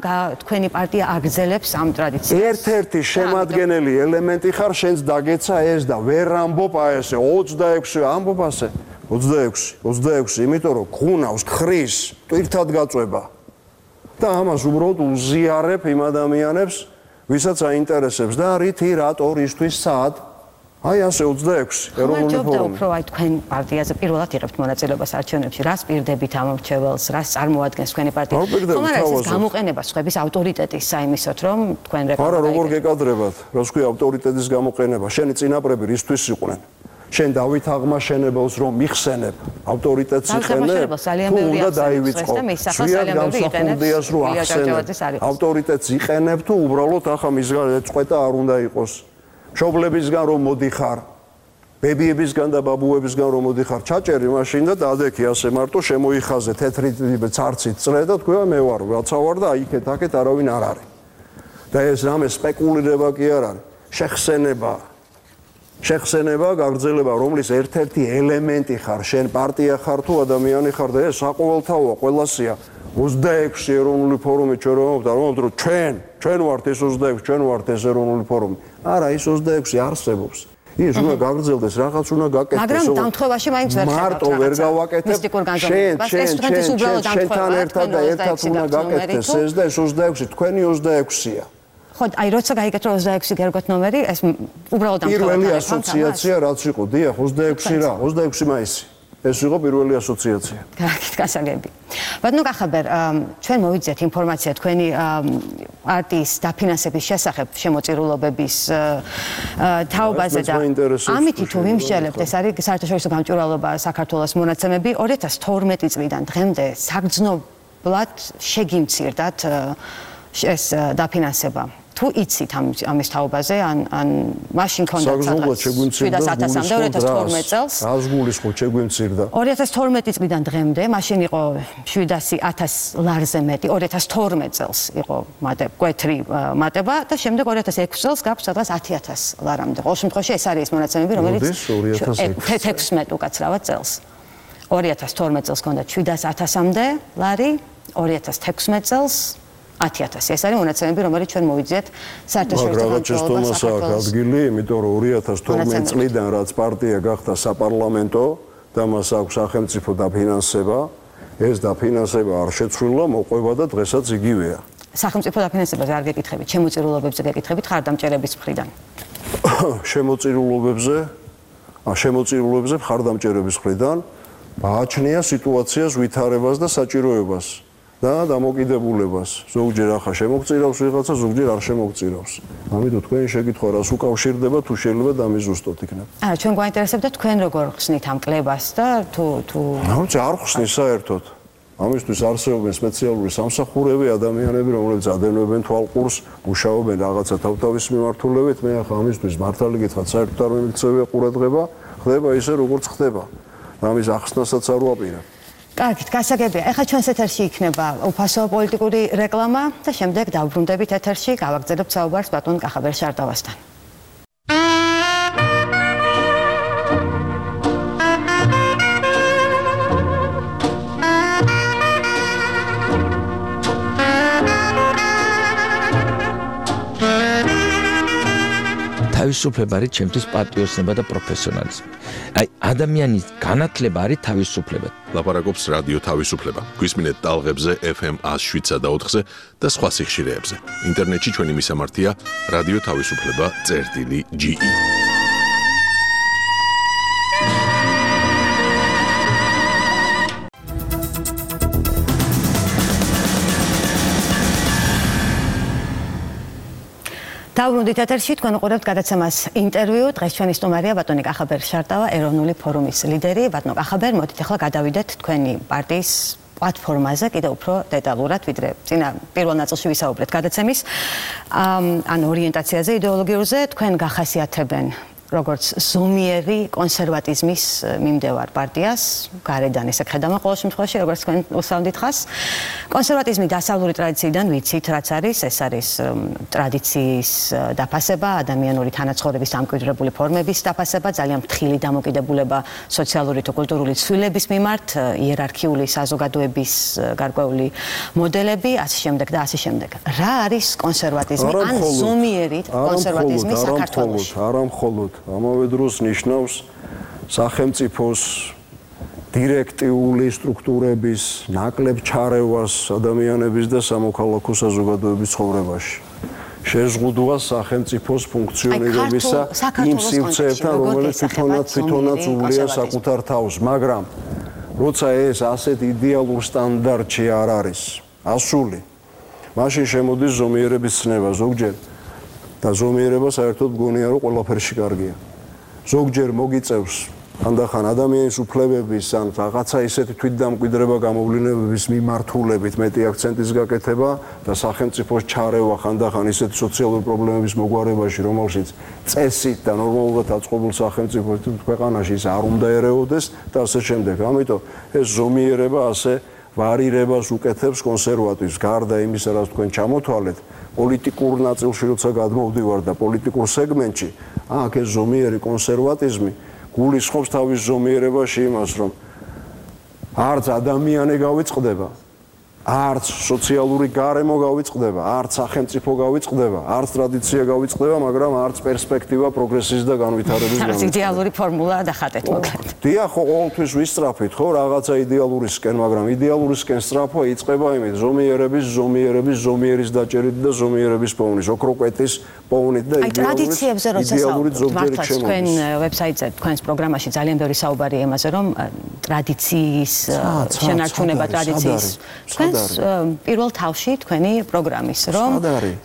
თქვენი პარტია აგრძელებს ამ ტრადიციას ერთ-ერთი შემადგენელი ელემენტი ხარ შენს დაგეცა ეს და ვერ ამბობ აი ესე 26 ამბობ ასე 26 იმიტომ რომ ხუნავს ხრის ტვირთად გაწובה და ამას უბრალოდ უზიარებ იმ ადამიანებს ვისაც აინტერესებს და რითი რატო ისთვის სად აი ასე 26 ეროვნული ფორუმი უფრო აი თქვენ პარტიაზე პირველად იღებთ მონაწილეობას არჩევნებში რას პირდებით ამორჩეველს რას წარმოადგენს თქვენი პარტია ხომ არა ეს გამოყენება სხვების ავტორიტეტის საიმისოთ რომ თქვენ არა როგორ გეკადრებათ რას ქვია ავტორიტეტის გამოყენება შენი წინაპრები რისთვის იყვნენ შენ დავით აღმაშენებელს რომ მიხსენებ ავტორიტეტს იხენებ თუ უნდა დაივიწყო შვიად გამსახურდიას რომ ახსენებ ავტორიტეტს იყენებ თუ უბრალოდ ახლა მისგან ეწყვეტა არ უნდა იყოს მშობლებისგან რომ მოდიხარ ბებიებისგან და ბაბუებისგან რომ მოდიხარ ჩაჭერი მაშინ და დადექი ასე მარტო შემოიხაზე თეთრი ცარცით წრე და თქვა მე ვარ რაცა ვარ და იქეთ აქეთ არავინ არ არის და ეს რამე სპეკულირება კი არ არის შეხსენება გაგრძელება რომლის ერთ-ერთი ელემენტი ხარ შენ პარტია ხარ თუ ადამიანი ხარ და ეს საყოველთაოა ყველასია 26 ეროვნული ფორუმი ჩვენ რომ ჩვენ ვართ ეს 26 ჩვენ ვართ ეს ეროვნული ფორუმი არა ეს 26 არსებობს ის უნდა გაგრძელდეს რაღაც უნდა გაკეთდეს მაგრამ დამთხევაში მაინც ვერ მარტო ვერ გავაკეთებ შენთან ერთად და ერთად უნდა გაკეთდეს ეს და ეს 26 თქვენი 26-ია ხო აი როცა გაიგეთ რომ 26 გერგოთ ნომერი ეს უბრალოდ დამთხევაში პირველი ასოციაცია რაც იყო დიახ 26 რა 26 მაისი ეს იყო პირველი ასოციაცია. კარგით, გასაგები. ბატონო კახაბერ, ჩვენ მოვიძიეთ ინფორმაცია თქვენი პარტიის დაფინანსების შესახებ შემოწირულობების თაობაზე და ამით თუ ვიმსჯელებთ, ეს არის საერთაშორისო გამჭვირვალობა საქართველოს მონაცემები 2012 წლიდან დღემდე საგრძნობლად შეგიმცირდათ ეს დაფინანსება. თუ იცით ამის თაობაზე ან მაშინ ქონდათ სადღაც 700-მდე 2012 წელს რას გულისხმობ შეგვიმცირდა 2012 წლიდან დღემდე მაშინ იყო 700,000 ლარზე მეტი 2012 წელს იყო მკვეთრი მატება და შემდეგ 2006 წელს გაქვს სადღაც 10,000 ლარამდე ყოველ შემთხვევაში ეს არის მონაცემები რომელიც 2016 უკაცრავად წელს 2012 წელს ქონდა 700,000-მდე ლარი 2016 წელს 10,000 ეს არის მონაცემები რომელიც ჩვენ მოვიძიეთ საერთაშორისო გამჭვირვალობას ადგილი იმიტომ რომ 2012 წლიდან რაც პარტია გახდა საპარლამენტო და მას აქვს სახელმწიფო დაფინანსება ეს დაფინანსება არ შეცვლილა მოყვება და დღესაც იგივეა სახელმწიფო დაფინანსებაზე არ გეკითხებით შემოწირულობებზე გეკითხებით ხარდამჭერების მხრიდან შემოწირულობებზე ხარდამჭერების მხრიდან გააჩნია სიტუაციას ვითარებას და საჭიროებას და დამოკიდებულებას. ზოგჯერ ახლა შემოგწირავს ვიღაცა, ზოგჯერ არ შემოგწირავს. ამიტომ თქვენი შეკითხვა რას უკავშირდება თუ შეიძლება დამიზუსტოთ იქნება. არა, ჩვენ გვაინტერესებდა თქვენ როგორ ხსნით ამ კლებას და თუ არ ხსნის საერთოდ. ამისთვის არსებობენ სპეციალური სამსახურები, ადამიანები, რომლებიც ადევნებენ თვალყურს, მუშაობენ რაღაცა თავთავის მიმართულებით. მე ახლა ამისთვის მართალი გითხრათ, საერთოდ არ მიმიქცევია ყურადღება, ხდება ისე როგორც ხდება. ამის ახსნასაც არ ვაპირებ. კარგით, გასაგებია. ეხლა ჩვენს ეთერში იქნება უფასო პოლიტიკური რეკლამა და შემდეგ დავბრუნდებით ეთერში, გავაგრძელებთ საუბარს ბატონ კახაბერ შარტავასთან. თავისუფლება არის ჩემთვის პატრიოტიზმი და პროფესიონალიზმი. აი ადამიანის განათლება არის თავისუფლება. ლაპარაკობს რადიო თავისუფლება. გვისმინეთ ტალღებზე FM 107.4-ზე და სხვა სიხშირეებზე. ინტერნეტში ჩვენი მისამართია რადიო თავისუფლება.ge. დავბრუნდით ეთერში, თქვენ უყურებთ გადაცემას ინტერვიუ. დღეს ჩვენი სტუმარია ბატონი კახაბერ შარტავა, ეროვნული ფორუმის ლიდერი. ბატონო კახაბერ, მოდით ახლა გადავიდეთ თქვენი პარტიის პლატფორმაზე კიდევ უფრო დეტალურად, ვიდრე წინა პირველ ნაწილში ვისაუბრეთ გადაცემის ან ორიენტაციაზე, იდეოლოგიურზე. თქვენ გახასიათებენ როგორც ზომიერი კონსერვატიზმის მიმდევარ პარტიას, გარედან ესე ხედავთ ყოველ შემთხვევაში, როგორც თქვენ უსავნით ხას. კონსერვატიზმი დასავლური ტრადიციიდან ვიცით, რაც არის, ეს არის ტრადიციის დაფასება, ადამიანური თანაცხოვრების დამკვიდრებული ფორმების დაფასება, ძალიან ფრთხილი დამოკიდებულება სოციალური თუ კულტურული ცვლილების მიმართ, იერარქიული საზოგადოების გარკვეული მოდელები, ასე შემდეგ და ასე შემდეგ. რა არის კონსერვატიზმი ან ზომიერი კონსერვატიზმი საქართველოში? არა მხოლოდ ამავე დროს ნიშნავს სახელმწიფოს დირექტიული სტრუქტურების ნაკლებ ჩარევას ადამიანების და სამოქალაქო საზოგადოების ცხოვრებაში. შეზღუდვას სახელმწიფოს ფუნქციონირებისა იმ სივრცეებთან, რომელიც თვითონაც უვლია საკუთარ თავს, მაგრამ როცა ეს ასეთ იდეალურ სტანდარტში არ არის ასული, მაშინ შემოდის ზომიერების ცნება ზოგჯერ. და ზომიერება საერთოდ მგონია რომ ყველაფერში კარგია. ზოგჯერ მოგიწევს ხანდახან ადამიანის უფლებების ან რაღაცა ისეთი თვითდამკვიდრება გამოვლინებების მიმართულებით მეტი აქცენტის გაკეთება და სახელმწიფოს ჩარევა ხანდახან ისეთი სოციალური პრობლემების მოგვარებაში, რომელშიც წესით და ნორმალურად აწყობილ სახელმწიფოს ქვეყანაში ის არ უნდა ერეოდეს და ასე შემდეგ. ამიტომ ეს ზომიერება ასე ვარირებას უკეთებს კონსერვატიზმს. გარდა იმისა, რაც თქვენ ჩამოთვალეთ, პოლიტიკურ ნაწილში როცა გადმოვდივარ და პოლიტიკურ სეგმენტში, აქ ეს ზომიერი კონსერვატიზმი გულისხმობს თავის ზომიერებაში იმას, რომ არც ადამიანი გავიწყდება, არც სოციალური გარემო გავიწყდება, არც სახელმწიფო გავიწყდება, არც ტრადიცია გავიწყდება, მაგრამ არც პერსპექტივა პროგრესის და განვითარების გამო. იდეალური ფორმულა დახატეთ მოკლედ. დიახ, ყოველთვის ვისწრაფით, ხო, რაღაცა იდეალურისკენ, მაგრამ იდეალურისკენ სწრაფვა იწყება იმით, ზომიერის დაჭერით და ზომიერების პოვნის, ოქროკვეთის პოვნით და იდეალურით ზოგჯერ შემოდის. თქვენ ვებსაიტზე, თქვენს პროგრამაში ძალიან ბევრი საუბარია იმაზე, რომ ტრადიციის შენარჩუნება ტრადიციის პირველ თავში თქვენი პროგრამის, რომ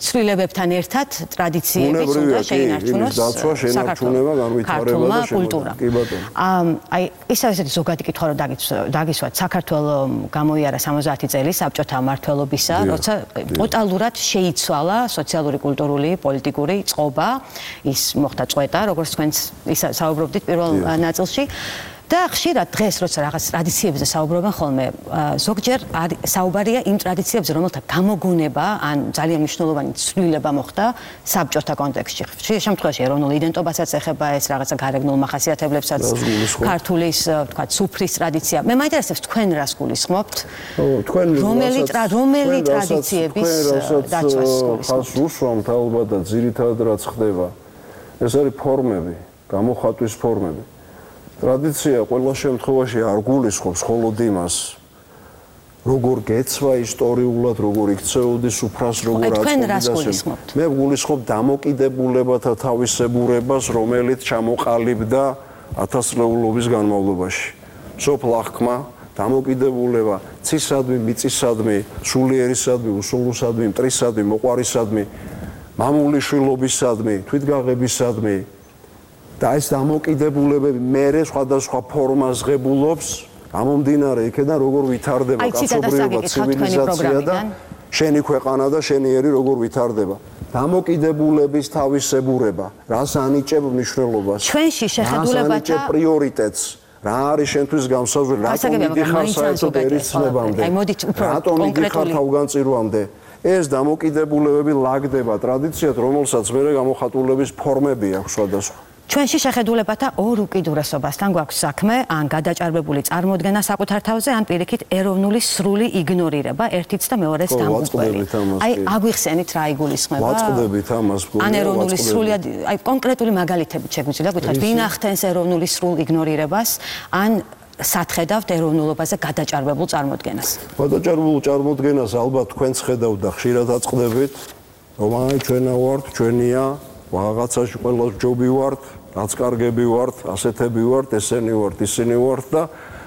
ცვლილებებთან ერთად ტრადიციების უნდა შეინარჩუნოს შენარჩუნება, განვითარება და კულტურა. აი, ისევ ესეთი ზოგადი კითხვა რომ დაგისვათ, საქართველოს გამოიარა 70 წელი საბჭოთა მმართველობისა, როცა ტოტალურად შეიცვალა სოციალური, კულტურული, პოლიტიკური წყობა, ის მოხდა წვეტა, როგორც თქვენც საუბრობდით პირველ ნაწილში. და ხშირად დღეს როცა რაღაც ტრადიციებზე საუბრობენ ხოლმე, ზოგჯერ საუბარია იმ ტრადიციებზე, რომელთა გამოგონება ან ძალიან მნიშვნელოვანი ცვლილება მოხდა საბჭოთა კონტექსტში. ხშირ შემთხვევაში ეროვნულ იდენტობასაც ეხება ეს რაღაცა გარეგნულ მახასიათებლებსაც, ქართულის, თქვა, სუფრის ტრადიცია. მე მაინტერესებს თქვენ რას გულისხმობთ? რომელი ტრადიციების დაცვას ხალხს უსვამთ ალბათ და ძირითადად რაც ხდება, ეს არის ფორმები, გამოხატვის ფორმები. ტრადიცია ყველა შემთხვევაში არ გულისხმობს მხოლოდ იმას, როგორ გეცვა ისტორიულად, როგორ იქცეოდი სუფრას, როგორ აწყობდა. მე გულისხმობ დამოკიდებულებათა თავისებურებას, რომელიც ჩამოყალიბდა ათასწლეულობის განმავლობაში. სოფლ აღქმა, დამოკიდებულება ცისადმი, მიწისადმი, სულიერისადმი, უსულოსადმი, მტრისადმი, მოყვარისადმი, მამულიშვილობისადმი, თვითგაღებისადმი და ეს დამოკიდებულებები მერე სხვადასხვა ფორმას ღებულობს, გამომდინარე იქიდან როგორ ვითარდება კაცობრიობა, ცივილიზაცია და შენი ქვეყანა და შენიერი როგორ ვითარდება. დამოკიდებულების თავისებურება, რას ანიჭებ მნიშვნელობას, ჩვენში შეხედულებათა რას ანიჭებ პრიორიტეტს, რა არის შენთვის განსაზღვრელი, რატომ მიდიხარ საერთოდ ერისმებამდე, რატომ მიდიხარ თავგანწირვამდე. ეს დამოკიდებულებები ლაგდება ტრადიციად, რომელსაც მერე გამოხატულების ფორმები აქვს სხვადასხვა. ჩვენში შეხედულებათა ორ უკიდურესობასთან გვაქვს საქმე, ან გადაჭარბებული წარმოდგენა საკუთარ თავზე, ან პირიქით ეროვნული სრული იგნორირება ერთიც და მეორეს დამუყველი. აი, აგვიხსენით რა იგულისხმება? ვაწყდებით ამას. ან ეროვნული სრული, აი კონკრეტული მაგალითებით შეგვიძლია გითხრათ, ვინ ახდენს ეროვნული სრულ იგნორირებას, ან სათხედავთ ეროვნულობაზე გადაჭარბებულ წარმოდგენას. გადაჭარბებულ წარმოდგენას ალბათ თქვენც ხედავთ და ხშირად აწყდებით, რომ აი ჩვენა ვართ, ჩვენია, რაღაცაში ყველა ჯობი ვართ, რაც კარგები ვართ, ასეთები ვართ, ესენი ვართ, ისინი ვართ და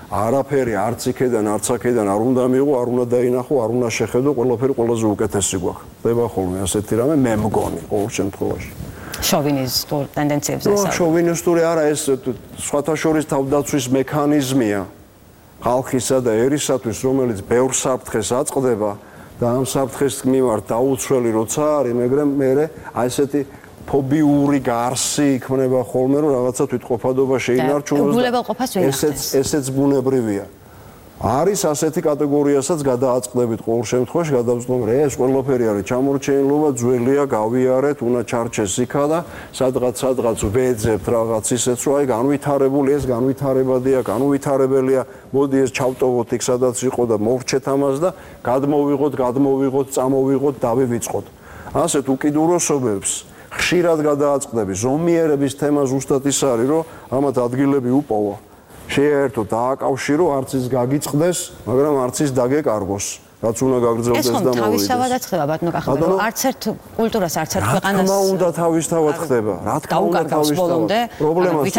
არაფერი არც იქედან, არც აქედან არ უნდა მიიღო, არ უნდა დაინახო, არ უნდა შეხედო, ყველაფერი ყველაზე უკეთესი გვაქვს. ხდება ხოლმე ასეთი რამე, მე მგონი ყოველ შემთხვევაში. შოვინისტურ ტენდენციებზე ესაა. შოვინისტური არა, ეს სხვათა შორის თავდაცვის მექანიზმია ხალხისა და ერისათვის, რომელიც ბევრ საფრთხეს აწყდება და ამ საფრთხეს მიმართ დაუცველი როცა არის, მაგრამ მე აი ესეთი ფობიური გარსი იქნება ხოლმე, რომ რაღაცა თვითყოფადობა შეინარჩუნოს. ესეც ბუნებრივია. არის ასეთი კატეგორიასაც გადააწყდებით ყოველ შემთხვევაში, გადავწყვეტ, რომ ეს ყველაფერი არის ჩამორჩენილობა, ძველია, გავიარეთ, უნდა ჩარჩეს იქა და სადღაც ვეძებთ რაღაც ისეც, რომ აი განვითარებული ეს განვითარებადია, განუვითარებელია, მოდი ეს ჩავტოვოთ იქ სადაც იყო და მოვრჩეთ ამას და გადმოვიღოთ, წამოვიღოთ, დავივიწყოთ. ასეთ უკიდურესობებს ხშირად გადააწყდები. ზომიერების თემა ზუსტად ის არის, რომ ამათ ადგილები უპოვა. შეერთო დააკავშირო, არც ის გაგიწყდეს, მაგრამ არც ის დაგეკარგოს. რაც უნდა გაგრძელდეს და მოვიდეს. ეს თავისთავადაც ხდება, ბატონო კახაბერ, რომ არც ერთ კულტურას, არც ერთ ქვეყანას. რა თქმა უნდა თავისთავად ხდება. რა თქმა უნდა თავისთავად. პრობლემა ის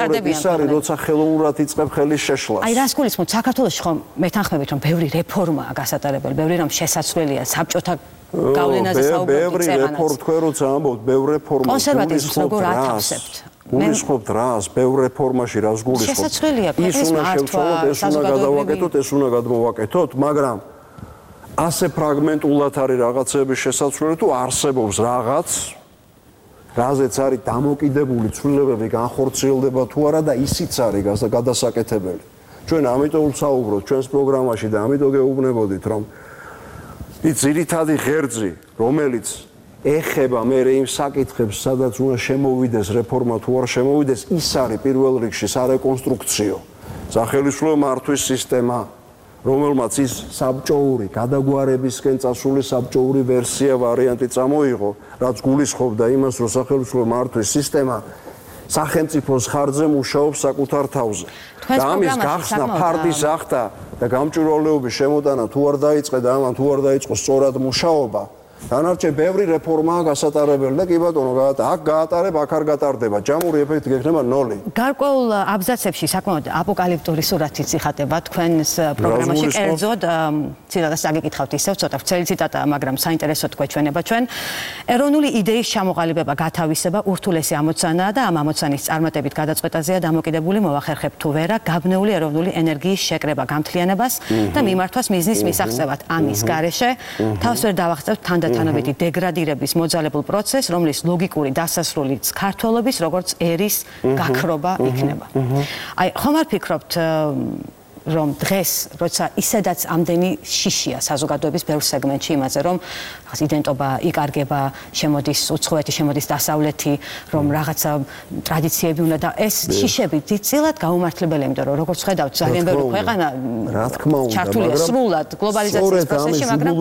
არის, როცა ხელოვნურად იწყებ ხელის შეშლას. აი რას გულისხმობთ, საქართველოში ხომ მეთანხმებით, რომ ბევრი რეფორმაა გასატარებელი, ბევრი რამ შესაძლებელია, საბჭოთა გავლენაზე საუბრობთ. ბევრი რეფორმა თქვენ როცა ამბობთ, ბევრი რეფორმა. კონსერვატიზმს როგორ ათავსებთ? გულისხმობთ რას, ბევრ რეფორმაში რას გულისხმობთ? შესაძლებელია, ის უნდა შევცვალოთ, ეს უნდა გადავაკეთოთ, ეს უნდა გადმოვაკეთოთ, მაგრამ ასე ფრაგმენტულად არის რაღაცების შესაძლებელი თუ არსებობს რაღაც, რაზეც არის დამოკიდებული ცვლილებები, განხორციელდება თუ არა და ისიც არის გადასაკეთებელი. ჩვენ ამიტომ ვსაუბრობთ ჩვენს პროგრამაში და ამიტომ გეუბნებოდით, რომ ის ძირითადი ღერძი, რომელიც ეხება მე იმ საკითხებს, სადაც უნდა შემოვიდეს რეფორმა თუ არ შემოვიდეს, ის არის პირველ რიგში სარეკონსტრუქციო სახელმწიფო მართვის სისტემა, რომელმაც ის საბჭოური გადაგვარებისკენ წასული საბჭოური ვერსია ვარიანტი წამოიღო, რაც გულისხმობდა იმას, რომ სახელმწიფო მართვის სისტემა სახელმწიფოს ხარჯზე მუშაობს საკუთარ თავზე. და ამის გახსნა ფარდის ახდა და გამჭვირვალეობის შემოტანა თუ არ დაიწყე და ამან თუ არ დაიწყო სწორად მუშაობა, დანარჩენ ბევრი რეფორმაა გასატარებელი და კი ბატონო, აქ გაატარებ, აქ არ გატარდება. ჯამური ეფექტი გექნება 0. გარკვეულ აბზაცებში საკმაოდ აპოკალიფტური სურათიც იხატება თქვენს პროგრამაში. კერძოდ, ციტატას აგიკითხავთ ისევ, ცოტა ვრცელი ციტატაა, მაგრამ საინტერესოდ გვეჩვენება ჩვენ. ეროვნული იდეის ჩამოყალიბება, გათავისება ურთულესი ამოცანაა და ამ ამოცანის წარმატებით გადაწყვეტაზეა დამოკიდებული მოვახერხებ თუ ვერა გაბნეული ეროვნული ენერგიის შეკრება, გამთლიანებას და მიმართვას მიზნის მისაღწევად. ამის გარეშე თავს ვერ დავახსენებთ თანადამნებითი დეგრადირების მოძალებულ პროცესს, რომლის ლოგიკური დასასრულიც ქართველობის როგორც ერის გაქრობა იქნება. აი, ხომ არ ფიქრობთ, რომ დღეს, როცა ისედაც ამდენი შიშია საზოგადოების ბევრ სეგმენტში იმაზე, რომ რაღაც იდენტობა იკარგება, შემოდის უცხოეთი, შემოდის დასავლეთი, რომ რაღაცა ტრადიციები უნდა და ეს შიშები დიდწილად გაუმართლებელია, იმიტომ რომ როგორც ხედავთ, ძალიან ბევრი ქვეყანა ჩართულია სრულად გლობალიზაციის პროცესში, მაგრამ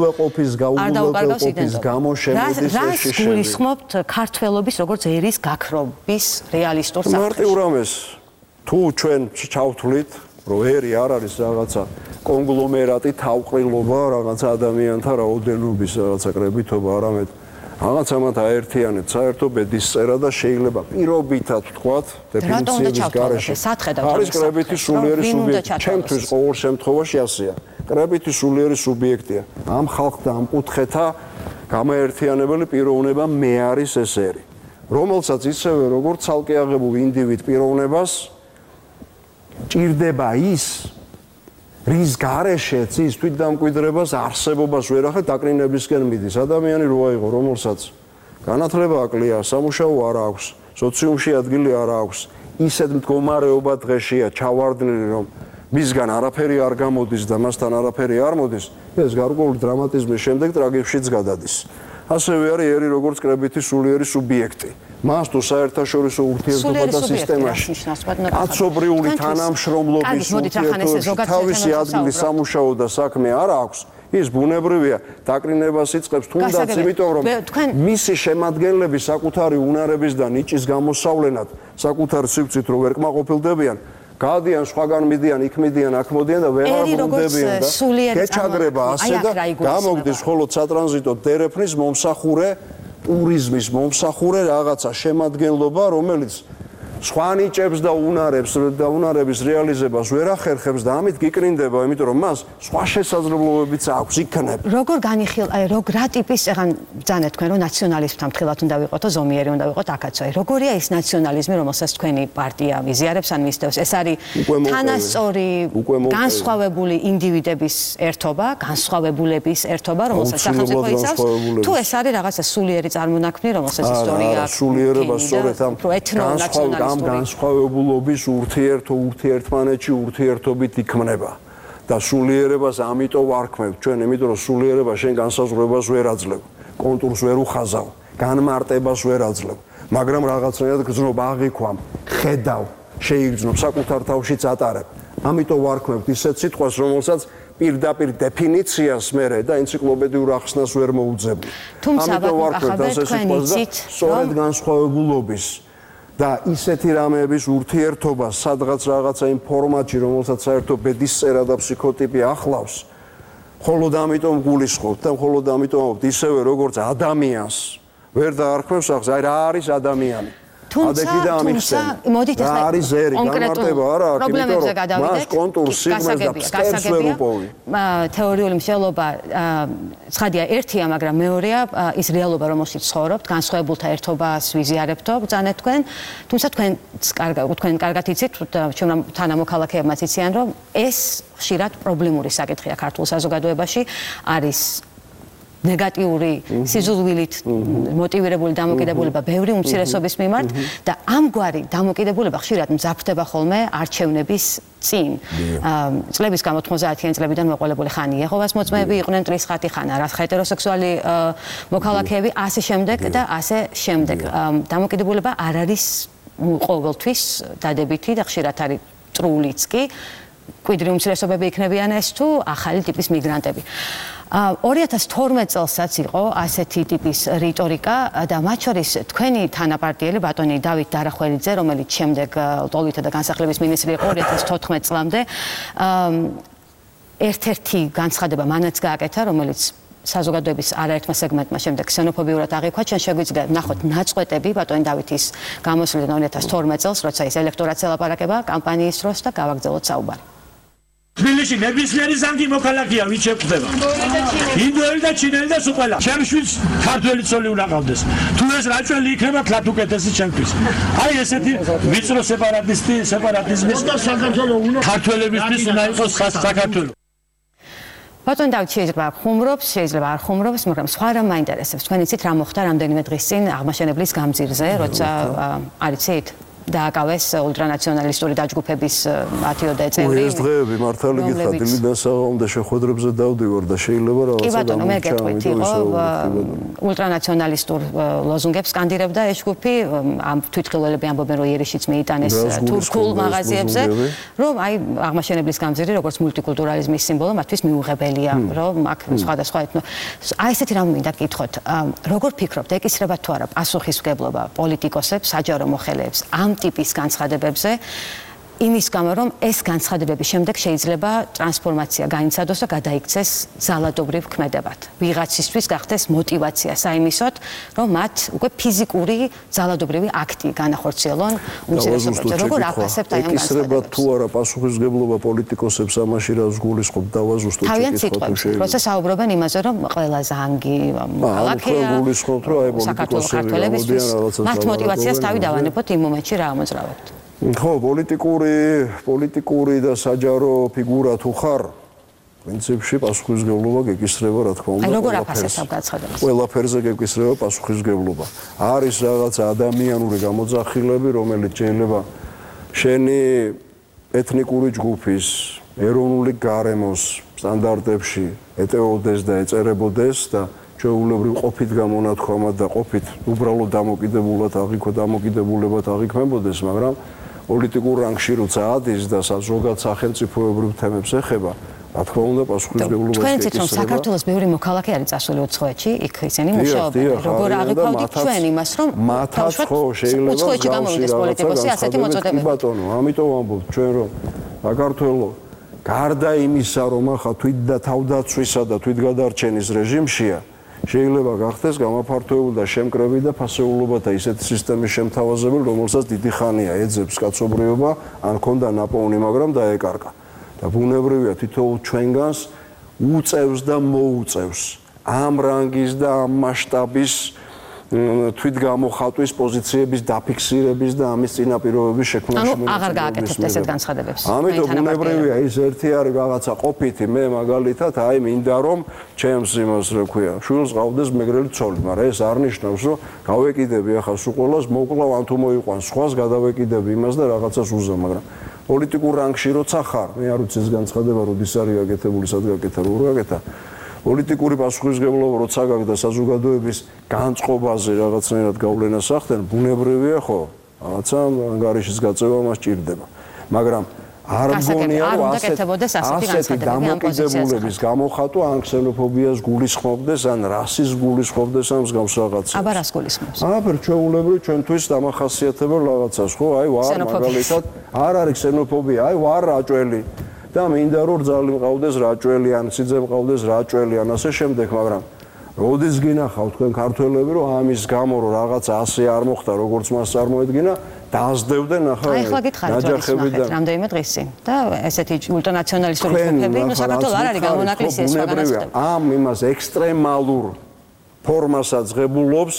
გაუგულებელი გამო შემოდის ეს რას გულისხმობთ ქართველობის როგორც ერის გაქრობის რეალისტურ საფრთხეში? მარტივ რამეს, თუ ჩვენ ჩავთვლით რომ ერი არ არის რაღაცა კონგლომერატი, თავყრილობა, რაღაცა ადამიანთა რაოდენობის რაღაცა კრებითობა, არამედ რაღაცა მათ აერთიანეთ საერთო ბედისწერა და შეიძლება პირობითად ვთქვათ, დეფინიციების გარეშე. არის კრებითი სულიერი სუბიექტი. ჩემთვის ყოველ შემთხვევაში ასეა. კრებითი სულიერი სუბიექტია. ამ ხალხთა, ამ კუთხეთა გამაერთიანებელი პიროვნება მე არის ეს ერი, რომელსაც ისევე როგორც ცალკე აღებულ ინდივიდ პიროვნებას ჭირდება ის, რის გარეშეც ის თვითდამკვიდრებას, არსებობას ვერ ახერხებს, დაკნინებისკენ მიდის. ადამიანი როა იყო, რომელსაც განათლება აკლია, სამუშაო არ აქვს, სოციუმში ადგილი არ აქვს, ისეთ მდგომარეობა დღეშია ჩავარდნილი, რომ მისგან არაფერი არ გამოდის და მასთან არაფერი არ მოდის, ეს გარკვეული დრამატიზმის შემდეგ ტრაგედიაშიც გადადის. ასევე არის ერი როგორც კრებითი სულიერი სუბიექტი. მას თუ საერთაშორისო ურთიერთობათა სისტემაში კაცობრიული თანამშრომლობის ურთიერთობებში თავისი ადგილი სამუშაო და საქმე არ აქვს, ის ბუნებრივია დაკრინებას იწყებს თუნდაც იმიტომ რომ მისი შემადგენლები საკუთარი უნარების და ნიჭის გამოსავლენად საკუთარ სივრცით რო ვერ კმაყოფილდებიან გადიან სხვაგან მიდიან იქ მიდიან აქ მოდიან და ვეღარ ბრუნდებიან და გეჩაგრება ასე და გამოგდის მხოლოდ სატრანზიტო დერეფნის მომსახურე ტურიზმის მომსახურე რაღაცა შემადგენლობა რომელიც სხვა ნიჭებს და უნარების რეალიზებას ვერ ახერხებს და ამით გიკრინდება იმიტომ რომ მას სხვა შესაძლებლობებიც აქვს იქნება როგორ რა ტიპის ეგან ბრძანეთ თქვენ რომ ნაციონალიზმთან მთლად უნდა ვიყოთო ზომიერი უნდა ვიყოთ აქაცო როგორია ის ნაციონალიზმი რომელსაც თქვენი პარტია მიზიარებს ან მისდევს ეს არის თანასწორი განსხვავებული ინდივიდების ერთობა განსხვავებულების ერთობა რომელსაც სახელმწიფო იცავს თუ ეს არის რაღაცა სულიერი წარმონაქმნი რომელსაც ისტორია სულიერება სწორედ ამ ამ განსხვავებულობის ურთიერთმანეთში ურთიერთობით იქმნება და სულიერებას ამიტომ ვარქმევ ჩვენ იმიტომ რომ სულიერება შენ განსაზღვრებას ვერ აძლევ კონტურს ვერ უხაზავ განმარტებას ვერ აძლევ მაგრამ რაღაცნაირად გზნობ აღიქვამ ხედავ შეიგრძნობ საკუთარ თავშიც ატარებ ამიტომ ვარქმევ ისეთ სიტყვას რომელსაც პირდაპირ დეფინიციას მერე და ენციკლოპედიურ ახსნას ვერ მოუძებნი ამიტომ ვარქმევ ასე სიტყვას და სწორედ განსხვავებულობის და ისეთი რამეების ურთიერთობა სადღაც რაღაცა იმ ფორმატში რომელსაც საერთო ბედისწერა და ფსიქოტიპი ახლავს მხოლოდ ამიტომ გულისხმობთ და მხოლოდ ამიტომ ისევე როგორც ადამიანს ვერ დაარქმევს ახს აი რა არის ადამიანი თუმცა მოდით ახლა არის ზერი განმარტება არა აქვს იმიტომ რომ მას კონტურს სიგნალს და ფსკერს ვერ უპოვი თეორიული მსჯელობა ცხადია ერთია მაგრამ მეორეა ის რეალობა რომელშიც ცხოვრობთ განსხვავებულთა ერთობას ვიზიარებთო ბრძანეთ თქვენ თუმცა თქვენ კარგად იცით ჩვენ თანამოქალაქეებმაც იციან რომ ეს ხშირად პრობლემური საკითხია ქართულ საზოგადოებაში არის ნეგატიური სიზულვილით მოტივირებული დამოკიდებულება ბევრი უმცირესობის მიმართ და ამგვარი დამოკიდებულება ხშირად მძაფრდება ხოლმე არჩევნების წინ. წლების გამო 90-იან წლებიდან მოყოლებული ხან იეჰოვას მოწმეები იყვნენ ტრისხათი ხან არა ჰეტეროსექსუალი მოქალაქეები ასე შემდეგ და ასე შემდეგ. დამოკიდებულება არ არის ყოველთვის დადებითი და ხშირად არის წრულიც კი კვიდრი უმცირესობები იქნებიან ეს თუ ახალი ტიპის მიგრანტები. 2012 წელსაც იყო ასეთი ტიპის რიტორიკა და მათ შორის თქვენი თანაპარტიელი ბატონი დავით დარახველიძე, რომელიც შემდეგ ლტოლვითა და განსახლების მინისტრი იყო 2014 წლამდე, ერთ-ერთი განცხადება მანაც გააკეთა, რომელიც საზოგადოების არაერთმა სეგმენტმა შემდეგ ქსენოფობიურად აღიქვა. ჩვენ შეგვიძლია ნახოთ ნაწყვეტები ბატონი დავითის გამოსვლიდან 2012 წელს, როცა ის ელექტორატს ელაპარაკება კამპანიის დროს და გავაგრძელოთ საუბარი. თბილისში ნებისმიერი ზანგი მოქალაქეა ვინც შეხვდება. ინდოელი და ჩინელი და სულ ყველა. ჩემ შვილს ქართველი ცოლი უნდა ყავდეს. თუ ეს რაჭველი იქნება თლათ უკეთესი ჩემთვის. აი ესეთი ვიწრო სეპარატიზმის ქართველებისთვის უნდა იყოს საქართველო. ბატონი დავით შეიძლება ხუმრობს, შეიძლება არ ხუმრობს, მაგრამ სხვა რამ მაინტერესებს. თქვენ იცით რა მოხდა რამდენიმე დღის წინ აღმაშენებლის გამზირზე, როცა არ იცით დააკავეს ულტრანაციონალისტური დაჯგუფების 10-ოდე წევრი. ეს დღეები მართალი გითხრათ, დილიდან საღამომდე შეხვედრებზე დავდივარ და შეიძლება რაღაცა კი ბატონო, მე გეტყვით, იყო ულტრანაციონალისტურ ლოზუნგებს სკანდირებდა ეს ჯგუფი, ამ თვითმხილველები ამბობენ, რომ იერიშიც მიიტანეს თურქულ მაღაზიებზე, რომ აი აღმაშენებლის გამზირი, როგორც მულტიკულტურალიზმის სიმბოლო, მათთვის მიუღებელია, რომ აქ სხვადასხვა აი ესეთი რამ მინდა გკითხოთ. როგორ ფიქრობთ, ეკისრებათ თუ არა პასუხისმგებლობა პოლიტიკოსებს, საჯარო მოხელეებს ამ ტიპის განცხადებებზე იმის გამო რომ ეს განცხადებების შემდეგ შეიძლება ტრანსფორმაცია გაიცადოს და გადაიქცეს ძალადობრივ ქმედებად. ვიღაცისთვის გახდეს мотиваცია საიმისოდ, რომ მათ უკვე ფიზიკური ძალადობრივი აქტი განახორციელონ უმცირესობებზე. როგორ აფასებთ აი ამ განცხადებებს? თუ არა პასუხისმგებლობა პოლიტიკოსებს ამაში რას გულისხმობთ დავაზუსტოთ შეკითხვა. როცა საუბრობენ იმაზე, რომ ყველა ზანგი მოქალაქეა, გულისხმობთ, რომ აი პოლიტიკოსები მათ мотиваციას თავი დავანებოთ იმ მომენტში რა ამოძრავებთ. ხო, პოლიტიკური და საჯარო ფიგურა თუ ხარ, პრინციპში პასუხისმგებლობა გეკისრება, რა თქმა უნდა. აი როგორ აფასებთ ამ განცხადებას? ყველაფერზე გეკისრება პასუხისმგებლობა. არის რაღაცა ადამიანური გამოძახილები, რომელიც შეიძლება შენი ეთნიკური ჯგუფის, ეროვნული გარემოს სტანდარტებში ეტეოდეს და ეწერებოდეს და ჩვეულებრივ ყოფით გამონათქვამად და ყოფით უბრალოდ დამოკიდებულად აღიქვა დამოკიდებულებად აღიქმებოდეს, მაგრამ პოლიტიკურ რანგში როცა ადის და ზოგად სახელმწიფოებრივ თემებს ეხება, რა თქმა უნდა პასუხისმგებლობას თქვენ იცით რომ საქართველოს ბევრი მოქალაქე არის წასული უცხოეთში, იქ ისინი მუშაობენ. როგორ აღიქვავდით ჩვენ იმას რომ მათაც ხო შეიძლება უცხოეთში გამოვიდეს პოლიტიკოსი ასეთი მოწოდებები. ბატონო, ამიტომ ვამბობ ჩვენ რომ საქართველოს გარდა იმისა რომ ახლა თვით და თავდაცვისა და თვითგადარჩენის რეჟიმშია, შეიძლება გახდეს გამაფართოებული და შემკრები და ფასეულობათა ისეთი სისტემის შემთავაზებელი, რომელსაც დიდი ხანია ეძებს კაცობრიობა, ან ქონდა ნაპოვნი, მაგრამ დაეკარგა. და ბუნებრივია თითოეულ ჩვენგანს უწევს და მოუწევს ამ რანგის და ამ მასშტაბის თვითგამოხატვის პოზიციების დაფიქსირების და ამის წინაპირობების შექმნაში. ანუ აღარ გააკეთებთ ესეთ განცხადებებს. ამიტომ ბუნებრივია ის ერთი არის რაღაცა ყოფითი მე მაგალითად აი მინდა რომ ჩემს იმას რა ქვია შვილს ყავდეს მეგრელი ცოლი, მაგრამ ეს არ ნიშნავს რომ გავეკიდები ახლა სულ ყველას მოკლავ ან თუ მოიყვანს სხვას გადავეკიდები იმას და რაღაცას უზა, მაგრამ პოლიტიკურ რანგში როცა ხარ, მე არ ვიცი ეს განცხადება როდის არის გაკეთებული, სად გაკეთა, როგორ გაკეთა. პოლიტიკური პასუხისმგებლობა როცა გაქვს და საზოგადოების განწყობაზე რაღაცნაირად გავლენას ახდენ, ბუნებრივია ხო, რაღაცა ანგარიშის გაწევა მას ჭირდება. მაგრამ არ მგონია რომ ასეთი დამოკიდებულების გამოხატვა ან ქსენოფობიას გულისხმობდეს, ან რასის გულისხმობდეს, ან მსგავს რაღაცას. აბა რას გულისხმობს? აბა ჩვეულებრივ ჩვენთვის დამახასიათებელ რაღაცას, ხო? აი ვარ მაგალითად, არ არის ქსენოფობია, აი ვარ რაჭველი. და მინდა რომ რძალი მყავდეს რაჭველი, ან სიძე მყავდეს რაჭველი, ან ასე შემდეგ, მაგრამ როდის გინახავთ თქვენ ქართველები, რომ ამის გამო რომ რაღაცა ასე არ მოხდა, როგორც მას წარმოედგინა, დაასდევდნენ ახლა ნაჯახები და რამდენიმე დღის წინ და ესეთი ულტრანაციონალისტური ჯგუფები, ნუ საქართველოს არ არის გამონაკლისი ეს სხვაგანაც. ამ იმას ექსტრემალურ ფორმასაც ღებულობს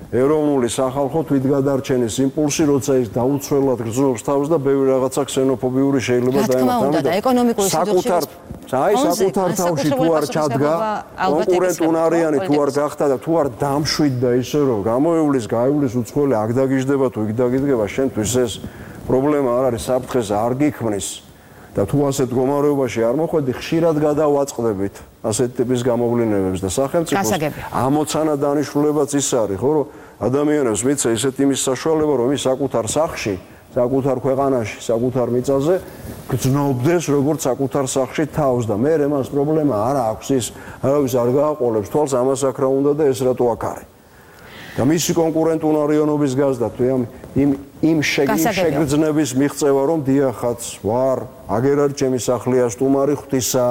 ეროვნული სახალხო თვითგადარჩენის იმპულსი, როცა ის დაუცველად გრძნობს თავს და ბევრი რაღაცა ქსენოფობიური შეიძლება დაემატა და ეკონომიკური საკუთარ თავში თუ არ ჩადგა, კონკურენტუნარიანი თუ არ გახდა და თუ არ დამშვიდდა ისე რომ გამოივლის, გაივლის უცხოელი აქ დაგიждდება თუ იქ დაგიდგება, შენთვის ეს პრობლემა არ არის, საფრთხეს არ გიქმნის და თუ ასეთ მდგომარეობაში არ მოხვედი, ხშირად გადავაწყდებით ასეთ ტიპის გამოვლენებებს და სახელმწიფოს ამოცანა დანიშნულებაც ის არის, ხო, რომ ადამიანებს მიცა ისეთ იმის საშუალება, რომ ის საკუთარ სახლში, საკუთარ ქვეყანაში, საკუთარ მიწაზე გრძნობდეს როგორც საკუთარ სახლში თავს და მე რემას პრობლემა არ აქვს ის არავის არ გააყოლებს თვალს ამას აქ რა უნდა და ეს რატო აქ არის და მისი კონკურენტუნარიანობის გაზდა თუ იმ შეგრძნების მიღწევა რომ დიახაც ვარ აგერ არის ჩემი სახლია სტუმარი ღვთისა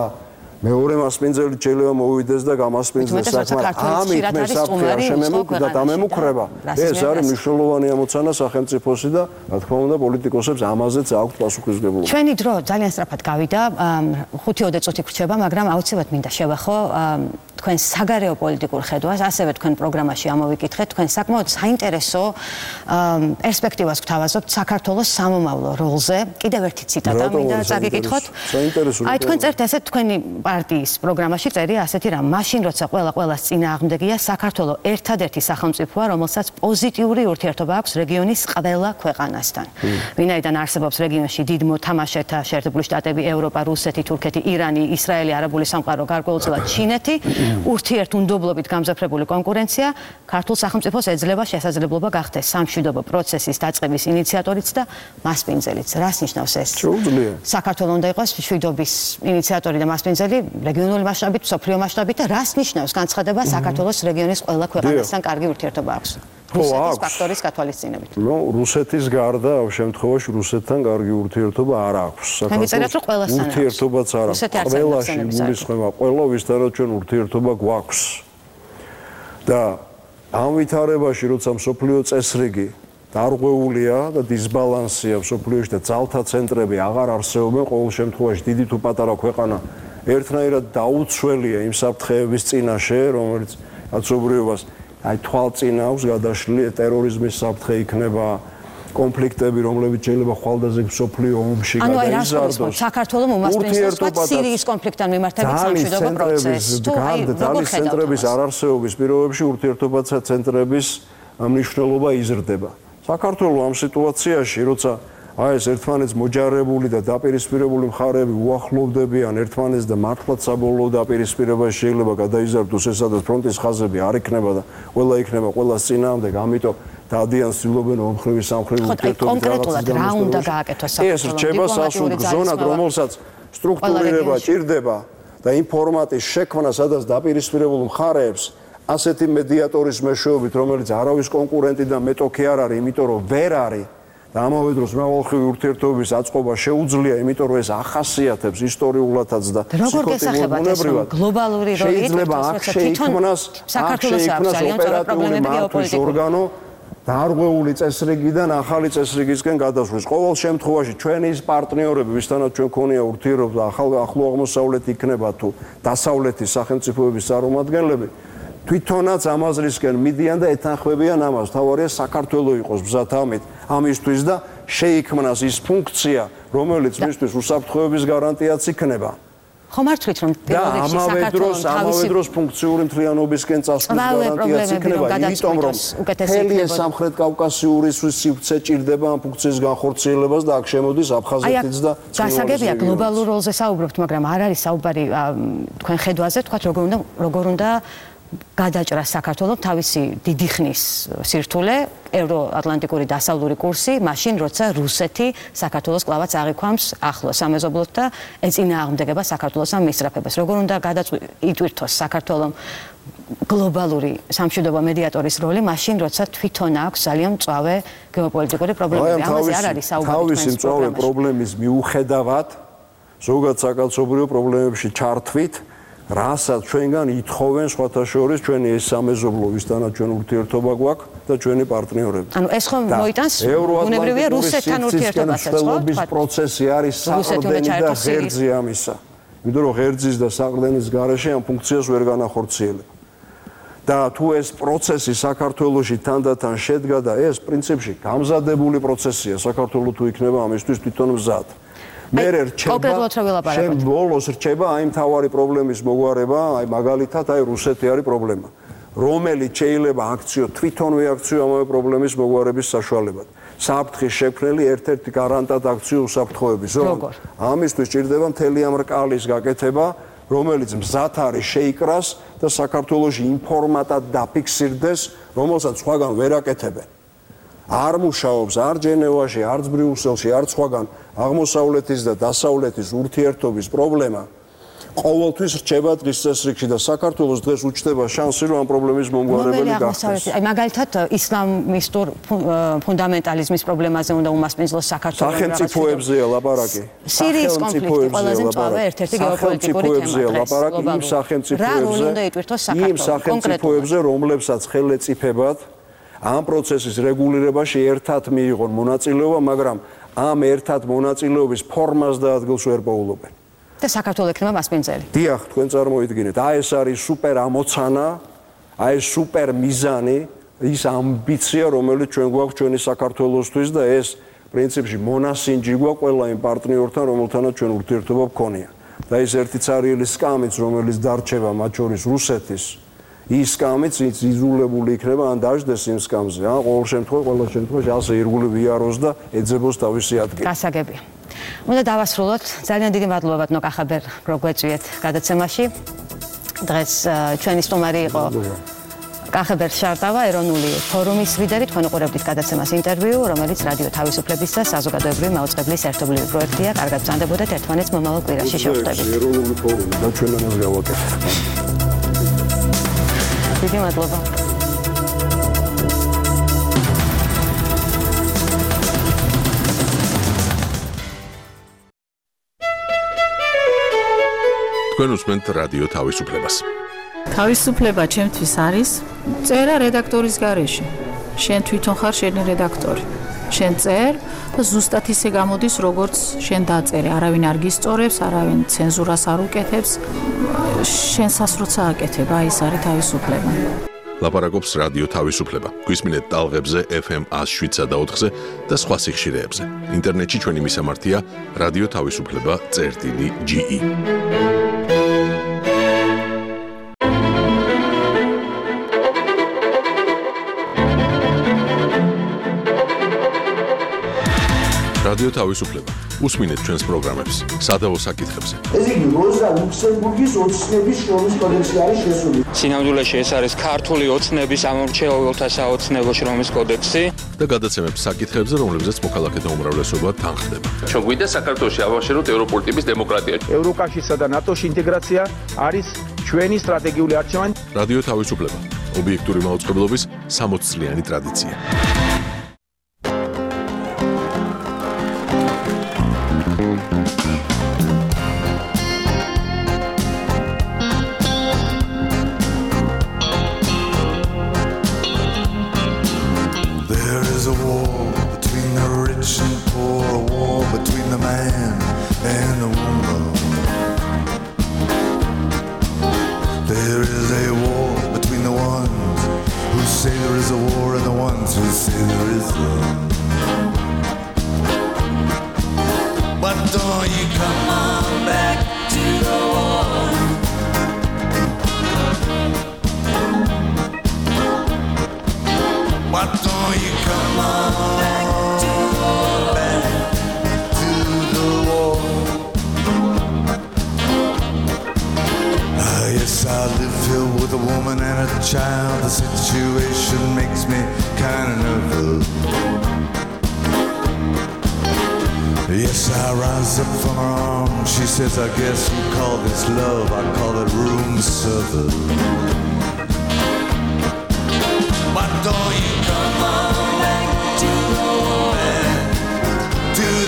მეორე მასპინძელი შეიძლება მოვიდეს და გამასპინძლეს საქმე ამით მე საფრთხე არ შემემუქრება და დამემუქრება ეს არის მნიშვნელოვანი ამოცანა სახელმწიფოსი და რა თქმა უნდა პოლიტიკოსებს ამაზეც აქვს პასუხისმგებლობა ჩვენი დრო ძალიან სწრაფად გავიდა 5-20 წუთი გრჩება მაგრამ აუცილებლად მინდა შევახო თქვენ საგარეო პოლიტიკურ ხედვას ასევე თქვენ პროგრამაში ამოვიკითხეთ თქვენ საკმაოდ საინტერესო პერსპექტივას გვთავაზობთ საქართველოს სამომავლო როლზე კიდევ ერთი ციტატა მინდა წაგიკითხოთ აი თქვენ წერთ ესე თქვენი პარტიის პროგრამაში წერია ასეთი რამ მაშინ როცა ყველას წინააღმდეგია საქართველოს ერთადერთი სახელმწიფოა რომელსაც პოზიტიური ურთიერთობა აქვს რეგიონის ყველა ქვეყანასთან ვინაიდან არსებობს რეგიონში დიდ მოთამაშეთა შეერთებული შტატები ევროპა რუსეთი თურქეთი ირანი ისრაელი არაბული სამყარო გარკვეულწილად ჩინეთი ურთიერთუნდობლობით გამძაფრებული კონკურენცია ქართულ სახელმწიფოს ეძლევა შესაძლებლობა გახდეს სამშვიდობო პროცესის დაწყების ინიციატორიც და მასპინძელიც რას ნიშნავს ეს საქართველოს უნდა იყოს მშვიდობის ინიციატორი და მასპინძელი რეგიონული მასშტაბით, მსოფლიო მასშტაბით და რას ნიშნავს განცხადება საქართველოს რეგიონის ყველა ქვეყანასთან კარგი ურთიერთობა აქვს. რუსეთის ფაქტორის გათვალისწინებით. ნუ რუსეთის გარდა ამ შემთხვევაში რუსეთთან კარგი ურთიერთობა არ აქვს. საქართველოს ურთიერთობაც არ აქვს. ყველაში გულისხმება ყველა ვისთანაც ჩვენ ურთიერთობა გვაქვს. და ამ ვითარებაში როცა მსოფლიო წესრიგი დარღვეულია და დისბალანსია მსოფლიოში და ძალთა ცენტრები აღარ არსებობენ ყოველ შემთხვევაში დიდი თუ პატარა ქვეყანა ერთნაირად დაუცველია იმ საფრთხეების წინაშე, რომელიც კაცობრიობას აი თვალწინავს გადაშლილი ტერორიზმის საფრთხე იქნება, კონფლიქტები, რომლებიც შეიძლება ხვალდაზე მსოფლიო ომში გადაიზარდოს. საქართველოს უმასპინძლობს სირიის კონფლიქტთან მიმართებით სამშვიდობო პროცესს. ძალის ცენტრების არარსეობის პირობებში ურთიერთობათა ცენტრების მნიშვნელობა იზრდება. საქართველოს ამ სიტუაციაში, როცა აი ეს ერთმანეთს მოჯარებული და დაპირისპირებული მხარეები უახლოვდებიან ერთმანეთს და მართლაც საბოლოო დაპირისპირებაში შეიძლება გადაიზარდოს ეს სადაც ფრონტის ხაზები არ იქნება და ყველა იქნება ყველას წინააღმდეგ, ამიტომ დადიან ცდილობენ ომხრივი სამხრივი ურთიერთობით კონკრეტულად რა უნდა გააკეთოს საქართველოს. ეს რჩება სასუნთქ ზონად, რომელსაც სტრუქტურირება ჭირდება და იმ ფორმატის შექმნა, სადაც დაპირისპირებულ მხარეებს ასეთი მედიატორის მეშვეობით, რომელიც არავის კონკურენტი და მეტოქი არ არის, იმიტომ რომ ვერ არის და ამავე დროს მრავალმხრივი ურთიერთობების აწყობა შეუძლია, იმიტომ რომ ეს ახასიათებს ისტორიულადაც და ფსიქოლოგიურად გლობალური როლი შეიძლება აქ შეიქმნას ოპერატიული მართვის ორგანო დარღვეული წესრიგიდან ახალი წესრიგისკენ გადასვლის. ყოველ შემთხვევაში ჩვენი ის პარტნიორები, ვისთანაც ჩვენ ქონია ურთიერთობა, ახლო აღმოსავლეთი იქნება თუ დასავლეთის სახელმწიფოების წარმომადგენლები, თვითონაც ამაზრისკენ მიდიან და ეთანხმებიან ამას. თავარია საქართველოს იყოს მზად ამისთვის და შეიქმნას ის ფუნქცია, რომელიც მისთვის უსაფრთხოების გარანტიაც იქნება. ხომ არ თვლით რომ პირველ რიგში საქართველოს ამავე დროს ფუნქციური მთლიანობისკენ წასვლის გარანტიაც იქნება, იმიტომ რომ მთელი სამხრეთ კავკასიური სივრცე ჭირდება ამ ფუნქციის განხორციელებას და აქ შემოდის აფხაზეთიც და გასაგებია გლობალურ როლზე საუბრობთ, მაგრამ არ არის საუბარი თქვენ ხედვაზე, თქვათ როგორ უნდა გადაჭრას საქართველოს თავისი დიდი ხნის სირთულე, ევროატლანტიკური დასავლური კურსი, მაშინ როცა რუსეთი საქართველოს კლავაც აღიქვამს ახლო სამეზობლოთ და ეწინააღმდეგება საქართველოს ამ მისწრაფებას. როგორ უნდა იტვირთოს საქართველოს გლობალური სამშვიდობო მედიატორის როლი, მაშინ როცა თვითონ აქვს ძალიან მწვავე გეოპოლიტიკური პრობლემები. ამაზე არ არის საუბარი. თავისი მწვავე პრობლემის მიუხედავად, ზოგადად საკაცობრიო პრობლემებში ჩართვით, რასაც ჩვენგან ითხოვენ სხვათა შორის ჩვენი ეს სამეზობლო, ვისთანაც ჩვენ ურთიერთობა გვაქვს და ჩვენი პარტნიორები. ანუ ეს ხომ მოიტანს ბუნებრივია რუსეთთან ურთიერთობასაც, ხო? პროცესი არის საყრდენი და ღერძი ამისა. იმიტომ რომ ღერძის და საყრდენის გარეშე ამ ფუნქციას ვერ განახორციელებ. და თუ ეს პროცესი საქართველოში თანდათან შედგა და ეს პრინციპში გამზადებული პროცესია, საქართველო თუ იქნება ამისთვის თვითონ მზად. მერე რჩება ბოლოს რჩება აი მთავარი პრობლემის მოგვარება, აი მაგალითად აი რუსეთი არის პრობლემა, რომელიც შეიძლება აქციო თვითონვე აქციო ამავე პრობლემის მოგვარების საშუალებად. საფრთხის შექმნელი ერთ-ერთი გარანტად აქციო უსაფრთხოების. ამისთვის ჭირდება მთელი ამ რკალის გაკეთება, რომელიც მზად არის შეიკრას და საქართველოში იმ ფორმატად დაფიქსირდეს, რომელსაც სხვაგან ვერ აკეთებენ. არ მუშაობს არ ჯენევაში, არც ბრიუსელში, არც სხვაგან აღმოსავლეთის და დასავლეთის ურთიერთობის პრობლემა ყოველთვის რჩება დღის წესრიგში და საქართველოს დღეს უჩნდება შანსი, რომ ამ პრობლემის მომგვარებელი გახდეს. აი მაგალითად ისლამისტურ ფუნდამენტალიზმის პრობლემაზე უნდა უმასპინძლოს საქართველოს სახელმწიფოებზეა ლაპარაკი. სირიის კონფლიქტი ყველაზე მწვავე ერთ-ერთი გეოპოლიტიკური თემაა. იმ სახელმწიფოებზე, რომლებსაც ხელეწიფებად ამ პროცესის რეგულირებაში ერთად მიიღონ მონაწილეობა, მაგრამ ამ ერთად მონაწილეობის ფორმას და ადგილს ვერ პოულობენ. და საქართველოს ექნება მასპინძელი. დიახ, თქვენ წარმოიდგინეთ, აი ეს არის სუპერ ამოცანა, აი ეს სუპერ მიზანი, ის ამბიცია, რომელიც ჩვენ გვაქვს ჩვენი საქართველოსთვის და ეს პრინციპში მონასინჯი გვაქვს ყველა იმ პარტნიორთან, რომელთანაც ჩვენ ურთიერთობა გქონია. და ეს ერთი ცარიელი სკამიც, რომელიც დარჩება მათ შორის რუსეთის, ის სკამიც იზოლებული იქნება ან დაждდეს იმ სკამზე. ყოველ შემთხვევაში ასე ირგვლივ იაროს და ეძებოს თავისი ადგილი. გასაგებია. უნდა დავასრულოთ. ძალიან დიდი მადლობა ბატონო კახაბერ, რომ გვეწვიეთ გადაცემაში. დღეს ჩვენი სტუმარი იყო კახაბერ შარტავა, ეროვნული ფორუმის ლიდერი. თქვენ უყურებდით გადაცემას ინტერვიუ, რომელიც რადიო თავისუფლების და საზოგადოებრივი მაუწყებლის ერთობლივი პროექტია. კარგად ბრძანდებოდეთ, ერთმანეთს მომავალ კვირაში შევხვდებით. ეროვნული ფორუმი და ჩვენ ამას გავაკეთებთ. დიდი მადლობა. თქვენ უსმენთ რადიო თავისუფლებას. თავისუფლება ჩემთვის არის წერა რედაქტორის გარეშე. შენ თვითონ ხარ შენი რედაქტორი. შენ წერ და ზუსტად ისე გამოდის, როგორც შენ დაწერე. არავინ არ გისწორებს, არავინ ცენზურას არ უკეთებს. შენსას როცა აკეთებ, აი ეს არის თავისუფლება. ლაპარაკობს რადიო თავისუფლება. გვისმინეთ ტალღებზე FM 107.4-ზე და სხვა სიხშირეებზე. ინტერნეტში ჩვენი მისამართია რადიო თავისუფლება.ge. რადიო რადიო თავისუფლება. უსმინეთ ჩვენს პროგრამებს სადავო საკითხებზე. ეს იგი როზა ლუქსემბურგის ოცნების შრომის კოდექსი არის შესული. სინამდვილეში ეს არის ქართული ოცნების ამორჩეულთა საოცნებო შრომის კოდექსი და გადაცემებს საკითხებზე, რომლებზეც მოქალაქეთა უმრავლესობა თანხდება. ჩვენ გვინდა საქართველოში ავაშენოთ ევროპული ტიპის დემოკრატია. ევროკავშირსა და ნატოში ინტეგრაცია არის ჩვენი სტრატეგიული არჩევანი. რადიო თავისუფლება. ობიექტური მაუწყებლობის 60 წლიანი ტრადიცია. I guess you call this love, I call it room service. Why don't you come on back to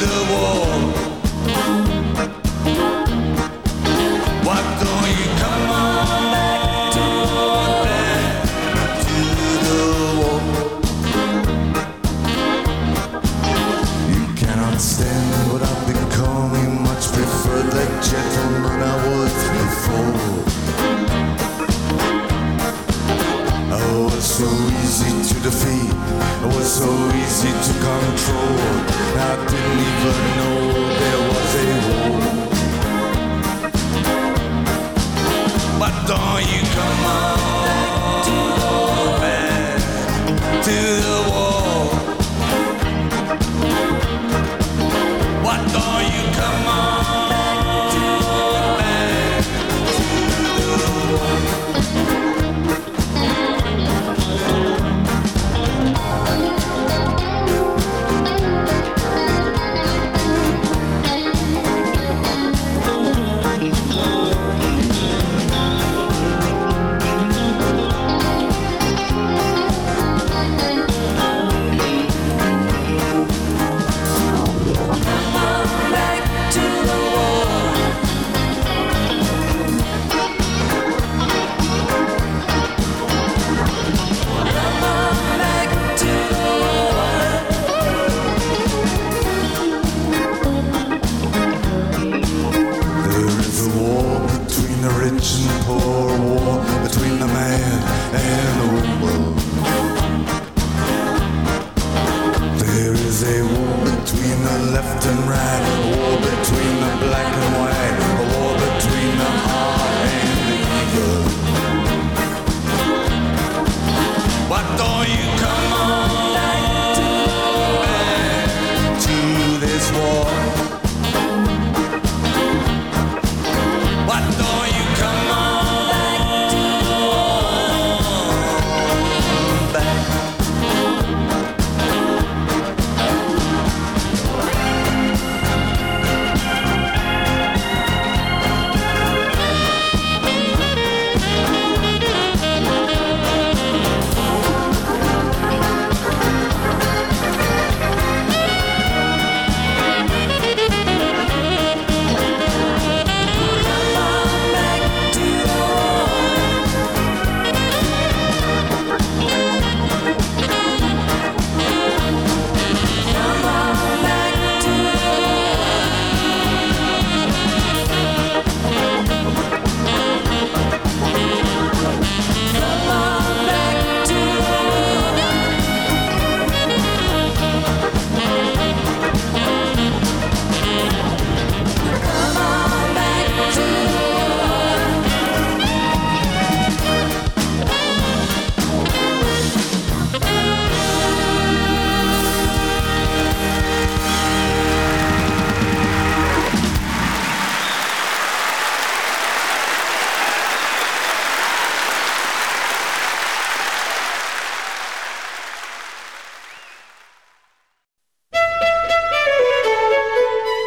the wall? Why don't you come on back to the wall? You cannot stand what I've become. You much prefer the gentleman I was before. I was so easy to defeat.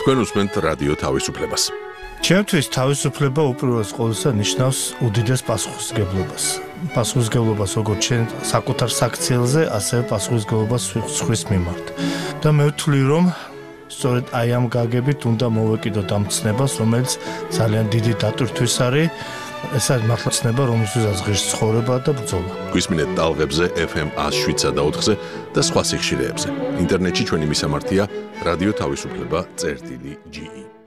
თქვენ უსმენთ რადიო თავისუფლებას. ჩემთვის თავისუფლება უპირველეს ყოვლისა ნიშნავს უდიდეს პასუხისმგებლობას. პასუხისმგებლობას როგორც ჩვენ საკუთარ საქციელზე, ასევე პასუხისმგებლობას სხვის მიმართ. და მე ვთვლი, რომ სწორედ აი ამ გაგებით უნდა მოვეკიდოთ ამ ცნებას, რომელიც ძალიან დიდი დატვირთვის არის. ეს არის მართლა ცნება, რომელსაც ღირს ცხოვრება და ბრძოლა. გვისმინეთ ტალღებზე FM 107.4-ზე და სხვა სიხშირეებზე. ინტერნეტში ჩვენი მისამართია რადიო თავისუფლება.ge